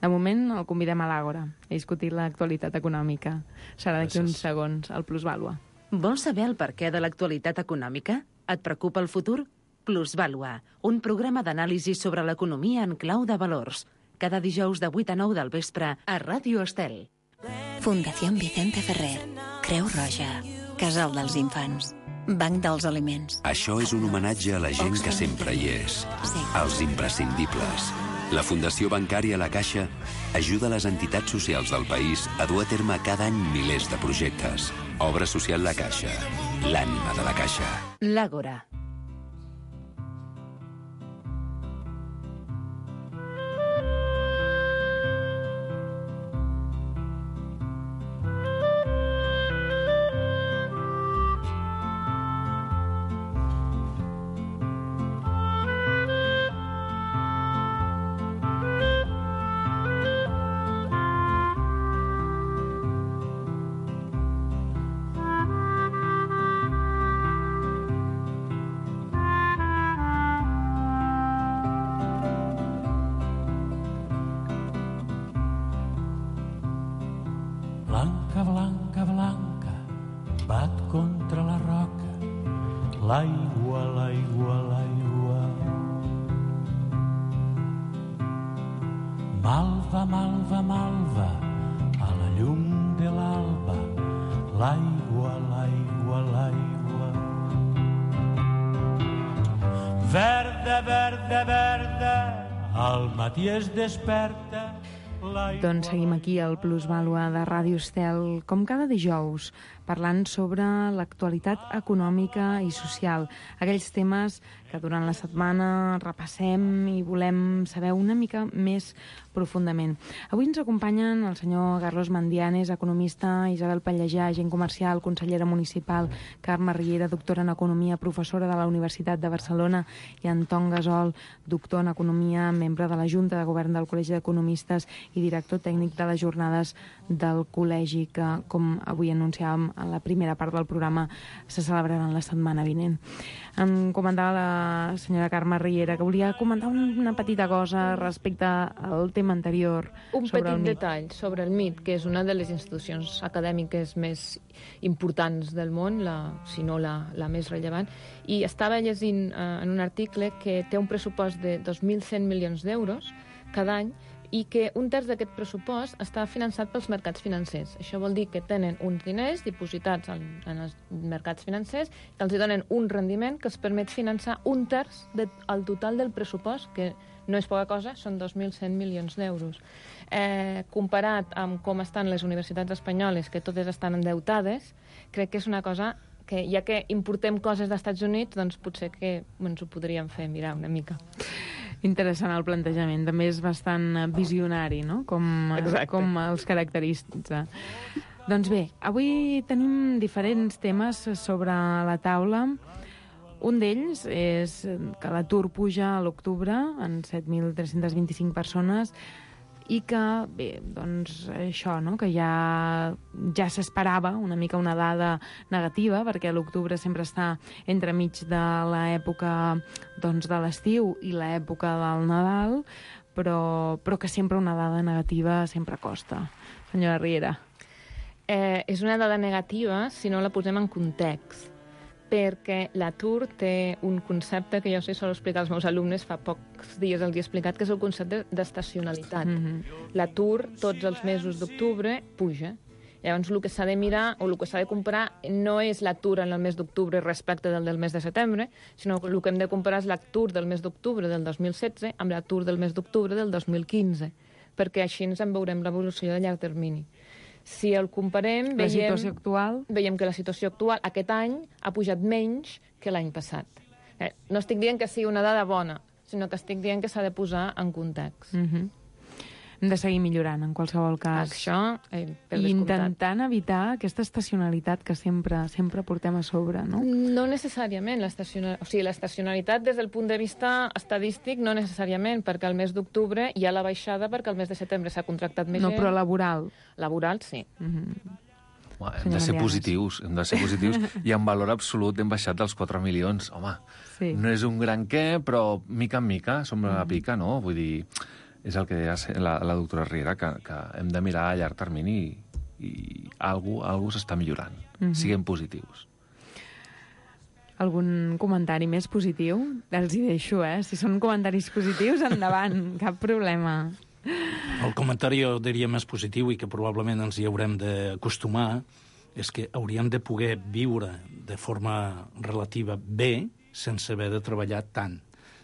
De moment el convidem a l'Àgora a discutir l'actualitat econòmica. Serà d'aquí uns segons, al Plusvàlua. Vols saber el perquè de l'actualitat econòmica? Et preocupa el futur? Plusvàlua, un programa d'anàlisi sobre l'economia en clau de valors. Cada dijous de vuit a nou del vespre a Ràdio Estel. Fundació Vicente Ferrer, Creu Roja, Casal dels Infants, Banc dels Aliments. Això és un homenatge a la gent que sempre hi és, als imprescindibles. La Fundació Bancària La Caixa ajuda les entitats socials del país a dur a terme cada any milers de projectes. Obra social La Caixa, l'ànima de la Caixa. L'Àgora. Blanca, blanca, blanca, bat contra la roca, l'aigua, l'aigua, l'aigua. Malva, malva, malva, a la llum de l'alba, l'aigua, l'aigua, l'aigua. Verda, verda, verda, al matí es desperta. Doncs seguim aquí al Plusvàlua de Ràdio Estel, com cada dijous, parlant sobre l'actualitat econòmica i social, aquells temes que durant la setmana repassem i volem saber una mica més profundament. Avui ens acompanyen el senyor Carlos Mandianes, economista, Isabel Pallejà, agent comercial, consellera municipal, Carme Riera, doctora en Economia, professora de la Universitat de Barcelona, i Anton Gasol, doctor en Economia, membre de la Junta de Govern del Col·legi d'Economistes i director tècnic de les jornades del col·legi que, com avui anunciàvem a la primera part del programa, se celebraran la setmana vinent. Em comentava la senyora Carme Riera que volia comentar una petita cosa respecte al tema anterior. Un sobre petit el MIT. detall sobre el M I T, que és una de les institucions acadèmiques més importants del món, la, si no la, la més rellevant, i estava llegint eh, en un article que té un pressupost de dos mil cent milions d'euros cada any, i que un terç d'aquest pressupost està finançat pels mercats financers. Això vol dir que tenen uns diners dipositats en, en els mercats financers que els donen un rendiment que els permet finançar un terç del total del pressupost, que no és poca cosa, són dos mil cent milions d'euros. Eh, comparat amb com estan les universitats espanyoles, que totes estan endeutades, crec que és una cosa que, ja que importem coses dels Estats Units, doncs potser que ens ho podríem fer mirar una mica. Interessant el plantejament, també és bastant visionari, no?, com, com els caracteritza. Doncs bé, avui tenim diferents temes sobre la taula. Un d'ells és que l'atur puja a l'octubre en set mil tres-cents vint-i-cinc persones, i que, bé, doncs això, no?, que ja, ja s'esperava una mica una dada negativa, perquè l'octubre sempre està entremig de l'època, doncs, de l'estiu i l'època del Nadal, però, però que sempre una dada negativa sempre costa. Senyora Riera. Eh, és una dada negativa si no la posem en context, perquè l'atur té un concepte que jo sé solo explicar als meus alumnes, fa pocs dies els he explicat, que és el concepte d'estacionalitat. Mm-hmm. L'atur tots els mesos d'octubre puja, Llavors, el que s'ha de mirar o el que s'ha de comprar no és l'atur en el mes d'octubre respecte del del mes de setembre, sinó que el que hem de comparar és l'atur del mes d'octubre del dos mil setze amb l'atur del mes d'octubre del dos mil quinze, perquè així ens en veurem l'evolució de llarg termini. Si el comparem, la veiem, situació actual... veiem que la situació actual aquest any ha pujat menys que l'any passat. Eh, no estic dient que sigui una dada bona, sinó que estic dient que s'ha de posar en context. Mm-hmm. Hem de seguir millorant, en qualsevol cas. Això, eh, per I descomptat. intentant evitar aquesta estacionalitat que sempre sempre portem a sobre, no? No necessàriament. L'estaciona... O sigui, l'estacionalitat des del punt de vista estadístic no necessàriament, perquè al mes d'octubre hi ha la baixada perquè al mes de setembre s'ha contractat més No, gent. però laboral. Laboral, sí. Mm-hmm. Home, hem de ser positius, hem de ser positius. I en valor absolut hem baixat dels quatre milions. Home, sí. No és un gran què, però mica en mica som a la pica, no? Vull dir, és el que deia la, la doctora Riera, que, que hem de mirar a llarg termini i, i algú, algú s'està millorant. Mm-hmm. Siguem positius. Algun comentari més positiu? Els hi deixo, eh? Si són comentaris positius, endavant, cap problema. El comentari, jo diria, més positiu i que probablement ens hi haurem d'acostumar és que hauríem de poder viure de forma relativa bé sense haver de treballar tant.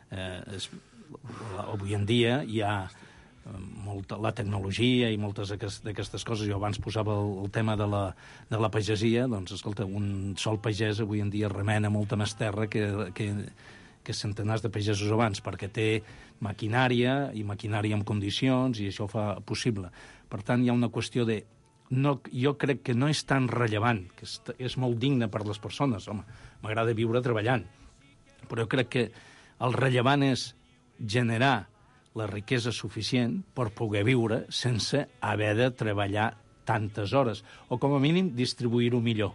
Eh, és, avui en dia hi ha molta, la tecnologia i moltes d'aquestes coses. Jo abans posava el, el tema de la, de la pagesia. Doncs, escolta, un sol pagès avui en dia remena molta més terra que... que que centenars de pagesos abans, perquè té maquinària i maquinària en condicions i això ho fa possible. Per tant, hi ha una qüestió de... No, jo crec que no és tan rellevant, que és, és molt digne per les persones. Home, m'agrada viure treballant. Però jo crec que el rellevant és generar la riquesa suficient per poder viure sense haver de treballar tantes hores, o com a mínim distribuir-ho millor.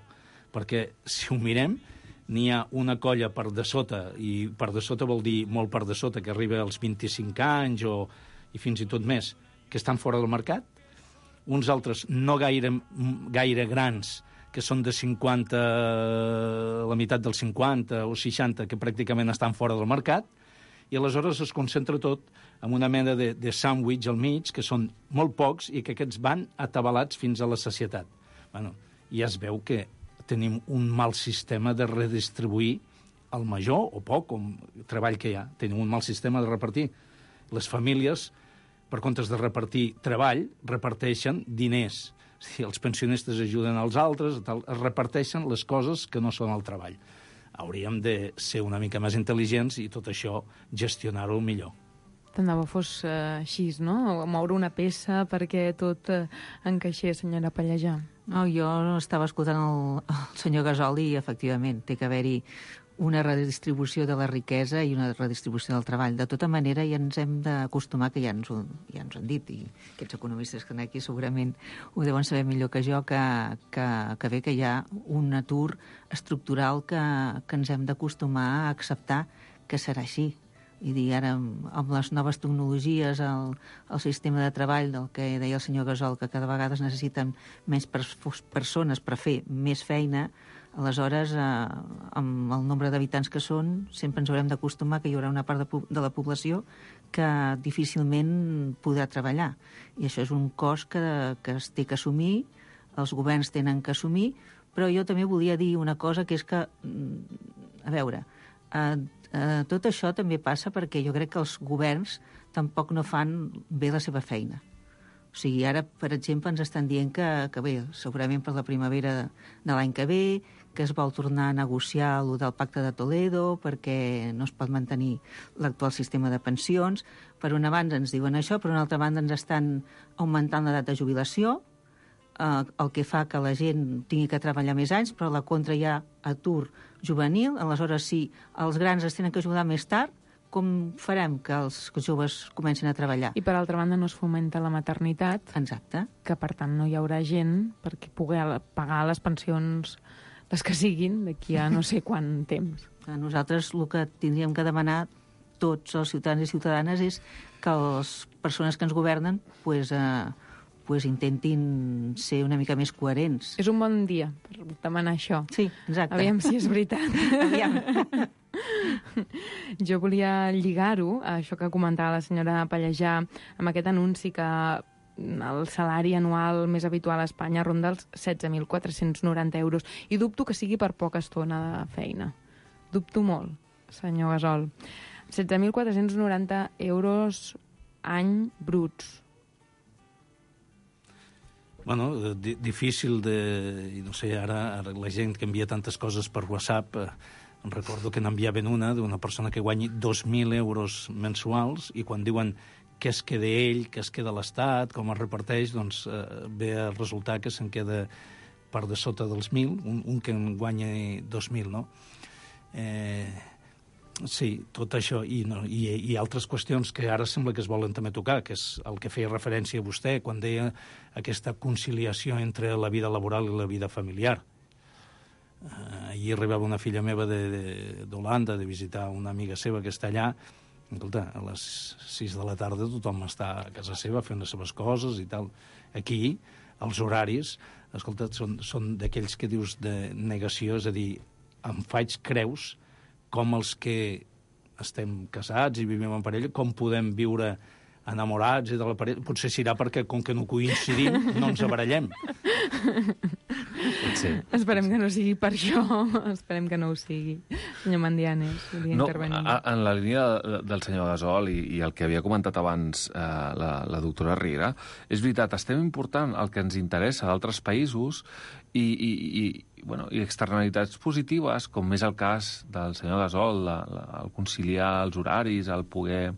Perquè si ho mirem, n'hi ha una colla per de sota, i per de sota vol dir molt per de sota, que arriba als vint-i-cinc anys o, i fins i tot més, que estan fora del mercat. Uns altres no gaire, gaire grans, que són de cinquanta, la meitat dels cinquanta o seixanta, que pràcticament estan fora del mercat, i aleshores es concentra tot en una mena de, de sàndwich al mig, que són molt pocs i que aquests van atabalats fins a la sacietat. Bueno, ja es veu que tenim un mal sistema de redistribuir el major o poc com treball que hi ha. Tenim un mal sistema de repartir. Les famílies, per comptes de repartir treball, reparteixen diners. Si els pensionistes ajuden als altres, tal, es reparteixen les coses que no són el treball. Hauríem de ser una mica més intel·ligents i tot això gestionar-ho millor. Tant de bo fos uh, així, no? Moure una peça perquè tot uh, encaixés, senyora Pallejà. No, jo estava escoltant el, el senyor Gasol i, efectivament, té que haver-hi una redistribució de la riquesa i una redistribució del treball. De tota manera, ja ens hem d'acostumar, que ja ens, ho, ja ens ho han dit, i aquests economistes que aquí segurament ho deuen saber millor que jo, que, que, que bé que hi ha un atur estructural que, que ens hem d'acostumar a acceptar que serà així. I dir, ara, amb les noves tecnologies, el, el sistema de treball del que deia el senyor Gasol, que cada vegada es necessiten més pers persones per fer més feina, aleshores, eh, amb el nombre d'habitants que són, sempre ens haurem d'acostumar que hi haurà una part de, de la població que difícilment podrà treballar. I això és un cost que, que es té que assumir, els governs tenen que assumir, però jo també volia dir una cosa, que és que, a veure, eh, Uh, tot això també passa perquè jo crec que els governs tampoc no fan bé la seva feina. O sigui, ara, per exemple, ens estan dient que, que bé, segurament per la primavera de, de l'any que ve, que es vol tornar a negociar el del Pacte de Toledo perquè no es pot mantenir l'actual sistema de pensions. Per una banda ens diuen això, per una altra banda ens estan augmentant l'edat de jubilació, eh, el que fa que la gent tingui que treballar més anys, però a la contra hi ha atur juvenil. Aleshores, si els grans es tenen que ajudar més tard, com farem que els joves comencin a treballar? I per altra banda no es fomenta la maternitat. Exacte. Que per tant no hi haurà gent perquè pugui pagar les pensions, les que siguin, d'aquí a no sé quant temps. A nosaltres el que tindríem que demanar tots els ciutadans i ciutadanes és que les persones que ens governen pues, eh, pues intentin ser una mica més coherents. És un bon dia per demanar això. Sí, exacte. Aviam si és veritat. Aviam. Jo volia lligar-ho, això que comentava la senyora Pallejà, amb aquest anunci que el salari anual més habitual a Espanya ronda els setze mil quatre-cents noranta euros. I dubto que sigui per poca estona de feina. Dubto molt, senyor Gasol. setze mil quatre-cents noranta euros any bruts. Bueno, di difícil de... No sé, ara, ara la gent que envia tantes coses per WhatsApp, eh, recordo que n'enviaven una d'una persona que guanyi dos mil euros mensuals i quan diuen què es queda ell, què es queda l'Estat, com es reparteix, doncs eh, ve a resultar que se'n queda per de sota dels mil, un, un que en guanya dos mil, no? Eh, sí, tot això, i, no, i, i altres qüestions que ara sembla que es volen també tocar, que és el que feia referència a vostè quan deia aquesta conciliació entre la vida laboral i la vida familiar. Eh, ahir arribava una filla meva d'Holanda de, de, de visitar una amiga seva que està allà. Escolta, a les sis de la tarda tothom està a casa seva fent les seves coses i tal. Aquí, els horaris, escolta, són, són d'aquells que dius de negació, és a dir, em faig creus com els que estem casats i vivim en parella, com podem viure enamorats i de la parella. Potser serà perquè, com que no coincidim, no ens abarallem. Sí. Esperem que no sigui per això. Esperem que no ho sigui. Senyor Mandianes, volia no, intervenir. A, en la línia del senyor Gasol i, i el que havia comentat abans eh, la, la doctora Riera, és veritat, estem important el que ens interessa d'altres països i, i, i, bueno, i externalitats positives, com és el cas del senyor Gasol, la, la, el conciliar els horaris, el poder,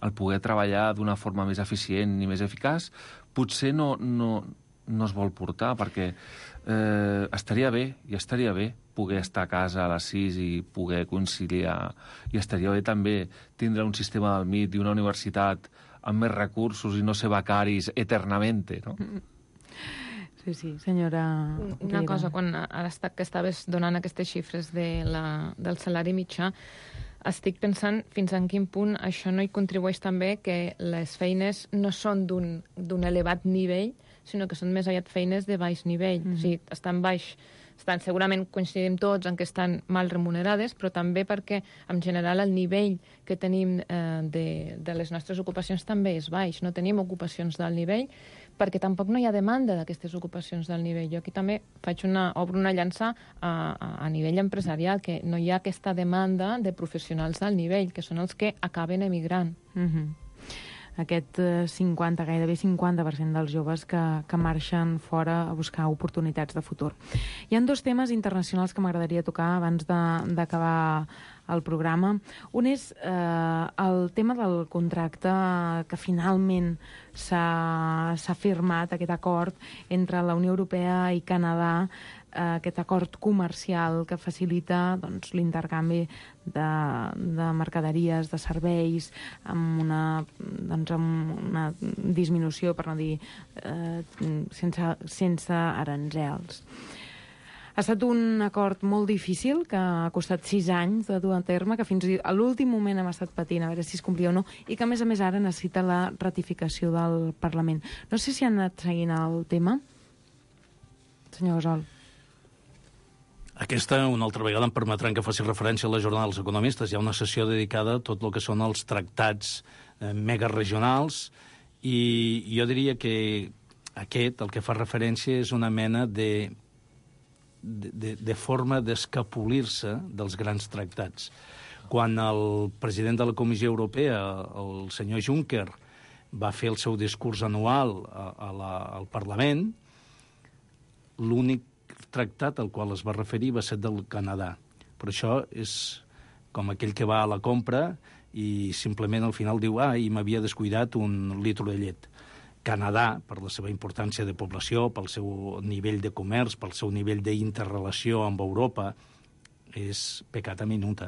el poder treballar d'una forma més eficient i més eficaç, potser no, no, no es vol portar, perquè eh, estaria bé, i estaria bé poder estar a casa a les sis i poder conciliar, i estaria bé també tindre un sistema del M I T i una universitat amb més recursos i no ser becaris eternamente, no? Sí, sí, senyora... Una cosa, quan ara està, que estaves donant aquestes xifres de la, del salari mitjà, estic pensant fins en quin punt això no hi contribueix també que les feines no són d'un elevat nivell, sinó que són més aviat feines de baix nivell. Mm. O sigui, estan baix, estan, segurament coincidim tots en que estan mal remunerades, però també perquè, en general, el nivell que tenim eh, de, de les nostres ocupacions també és baix. No tenim ocupacions d'alt nivell, perquè tampoc no hi ha demanda d'aquestes ocupacions d'alt nivell. Jo aquí també faig una, obro una llança a, a, a nivell empresarial, que no hi ha aquesta demanda de professionals d'alt nivell, que són els que acaben emigrant. Mm-hmm. Aquest cinquanta, gairebé cinquanta per cent dels joves que, que marxen fora a buscar oportunitats de futur. Hi ha dos temes internacionals que m'agradaria tocar abans d'acabar el programa. Un és eh, el tema del contracte que finalment s'ha firmat, aquest acord entre la Unió Europea i Canadà, eh, aquest acord comercial que facilita doncs, l'intercanvi de, de mercaderies, de serveis, amb una, doncs, amb una disminució, per no dir, eh, sense, sense aranzels. Ha estat un acord molt difícil, que ha costat sis anys de dur a terme, que fins a l'últim moment hem estat patint a veure si es complia o no, i que, a més a més, ara necessita la ratificació del Parlament. No sé si han anat seguint el tema. Senyor Gasol. Aquesta, una altra vegada, em permetran que faci referència a la jornada dels economistes. Hi ha una sessió dedicada a tot el que són els tractats eh, megaregionals, i jo diria que aquest, el que fa referència, és una mena de De, de, de forma d'escapolir-se dels grans tractats. Quan el president de la Comissió Europea, el senyor Juncker, va fer el seu discurs anual a, a la, al Parlament, l'únic tractat al qual es va referir va ser del Canadà. Però això és com aquell que va a la compra i simplement al final diu ah, i m'havia descuidat un litro de llet. Canadà, per la seva importància de població, pel seu nivell de comerç, pel seu nivell d'interrelació amb Europa, és peccata minuta.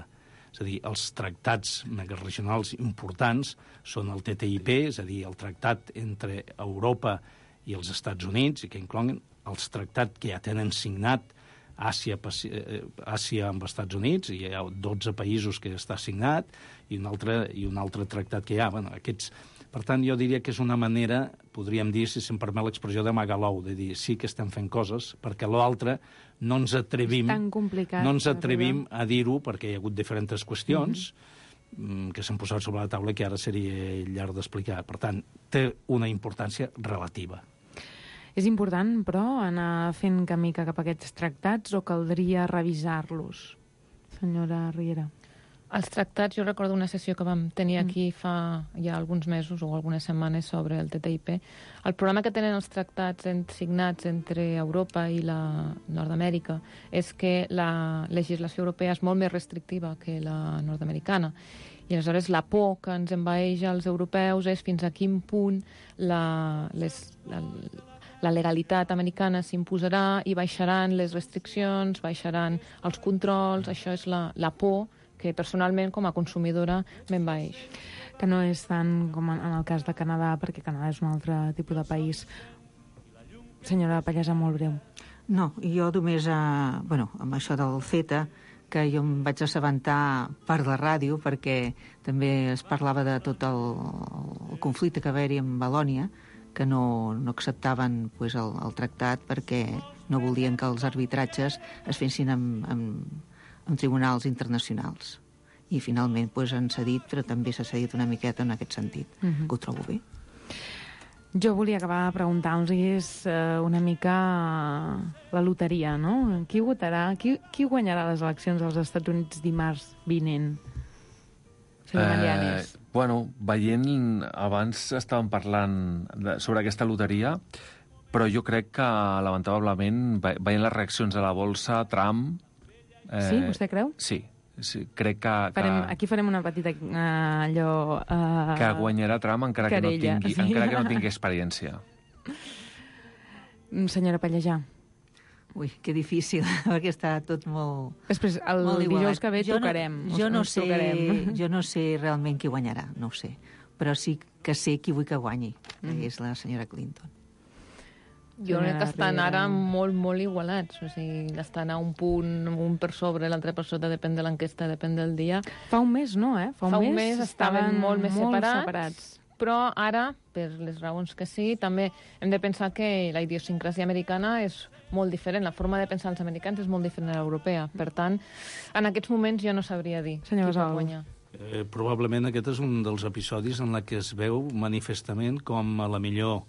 És a dir, els tractats megaregionals importants són el T T I P, és a dir, el tractat entre Europa i els Estats Units, i que inclouen els tractats que ja tenen signat Àsia, Àsia amb els Estats Units, i hi ha dotze països que està signat, i un altre, i un altre tractat que hi ha. Bueno, aquests... Per tant, jo diria que és una manera, podríem dir, si se'm permet l'expressió, de magalou, de dir sí que estem fent coses, perquè l'altre no ens atrevim, no ens atrevim a dir-ho, perquè hi ha hagut diferents qüestions, mm-hmm. que s'han posat sobre la taula que ara seria llarg d'explicar. Per tant, té una importància relativa. És important, però, anar fent camí cap a aquests tractats o caldria revisar-los? Senyora Riera. Els tractats, jo recordo una sessió que vam tenir aquí fa ja alguns mesos o algunes setmanes sobre el T T I P. El problema que tenen els tractats signats entre Europa i la Nord-Amèrica és que la legislació europea és molt més restrictiva que la nord-americana. I aleshores la por que ens envaeix als europeus és fins a quin punt la, les, la, la legalitat americana s'imposarà i baixaran les restriccions, baixaran els controls. Això és la, la por que personalment com a consumidora m'envaeix. Que no és tant com en el cas de Canadà, perquè Canadà és un altre tipus de país. Senyora Pallesa, molt breu. No, jo només, eh, bueno, amb això del CETA, que jo em vaig assabentar per la ràdio, perquè també es parlava de tot el, el conflicte que va haver-hi amb Valònia, que no, no acceptaven pues, el, el tractat perquè no volien que els arbitratges es fessin amb, amb en tribunals internacionals. I finalment pues, han cedit, però també s'ha cedit una miqueta en aquest sentit, uh-huh. que ho trobo bé. Jo volia acabar preguntant-los eh, una mica la loteria, no? Qui votarà, qui, qui guanyarà les eleccions als Estats Units dimarts vinent? Senyor eh, Marianes. Bueno, veient, abans estàvem parlant de, sobre aquesta loteria, però jo crec que, lamentablement, veient les reaccions a la bolsa, Trump... Eh, sí? Vostè creu? Sí. sí crec que, que... Farem, aquí farem una petita uh, allò... Uh, que guanyarà Trump encara que, no tingui, sí. encara que no tingui experiència. Senyora Pallejà. Ui, que difícil, perquè està tot molt... Després, el molt dijous que ve jo tocarem. No, jo, no sé, tocarem. jo no sé realment qui guanyarà, no ho sé. Però sí que sé qui vull que guanyi, que mm. és la senyora Clinton. Jo crec que estan ara molt, molt igualats. O sigui, estan a un punt, un per sobre, l'altre per sota, depèn de l'enquesta, depèn del dia. Fa un mes, no, eh? Fa un, Fa un mes, mes estaven molt més molt separats, separats. Però ara, per les raons que sí, també hem de pensar que la idiosincràsia americana és molt diferent. La forma de pensar els americans és molt diferent a l'europea. Per tant, en aquests moments jo no sabria dir Senyor qui pot guanyar. Eh, probablement aquest és un dels episodis en què es veu manifestament com a la millor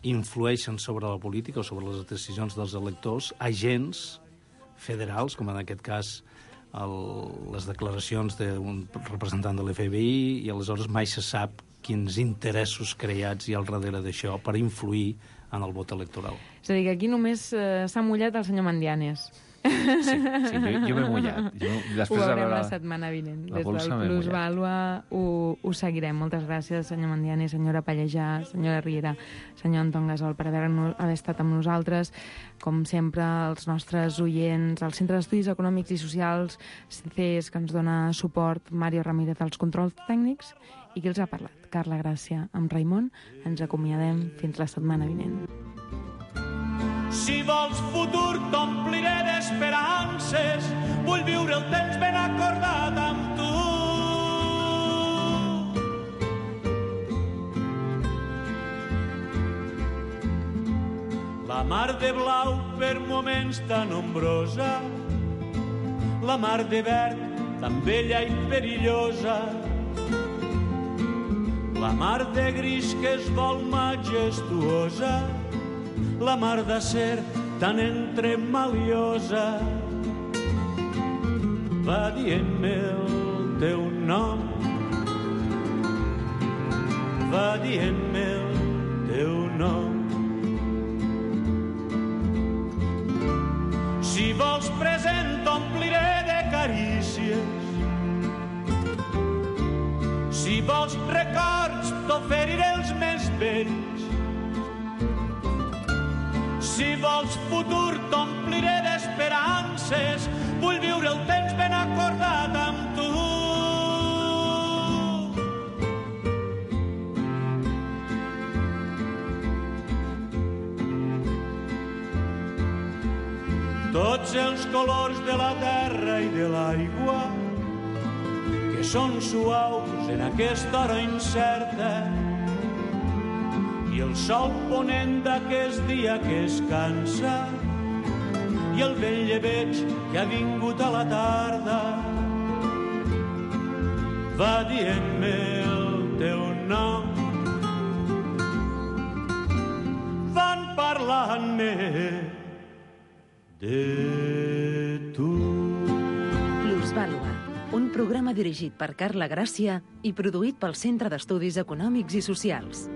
influeixen sobre la política o sobre les decisions dels electors agents federals, com en aquest cas el, les declaracions d'un representant de l'F B I, i aleshores mai se sap quins interessos creats hi ha al darrere d'això per influir en el vot electoral. És a dir, que aquí només eh, s'ha mullat el senyor Mandianes. Sí, sí, jo, jo m'he mullat. Jo, ho veurem la setmana vinent. Des del Plusvàlua ho, ho seguirem. Moltes gràcies, senyor Mandiani, senyora Pallejà, senyora Riera, senyor Anton Gasol, per haver, haver estat amb nosaltres. Com sempre, els nostres oients, el Centre d'Estudis Econòmics i Socials, C E S, que ens dona suport, Mario Ramírez, als controls tècnics, i qui els ha parlat? Carla Gràcia, amb Raimon. Ens acomiadem fins la setmana vinent. Si vols futur t'ompliré d'esperances, vull viure el temps ben acordat amb tu. La mar de blau per moments tan ombrosa, la mar de verd tan bella i perillosa, la mar de gris que es vol majestuosa, la mar d'acer tan entremaliosa. Va dient-me el teu nom, va dient-me el teu nom. Si vols present t'ompliré de carícies, si vols records t'oferiré els més bells, si vols futur t'ompliré d'esperances, vull viure el temps ben acordat amb tu. Tots els colors de la terra i de l'aigua, que són suaus en aquesta hora incerta, i el sol ponent d'aquest dia que es cansa, i el vell llebeig que ha vingut a la tarda. va dient-me el teu nom. Van parlant-me de tu. Plusvàlua, un programa dirigit per Carla Gràcia i produït pel Centre d'Estudis Econòmics i Socials.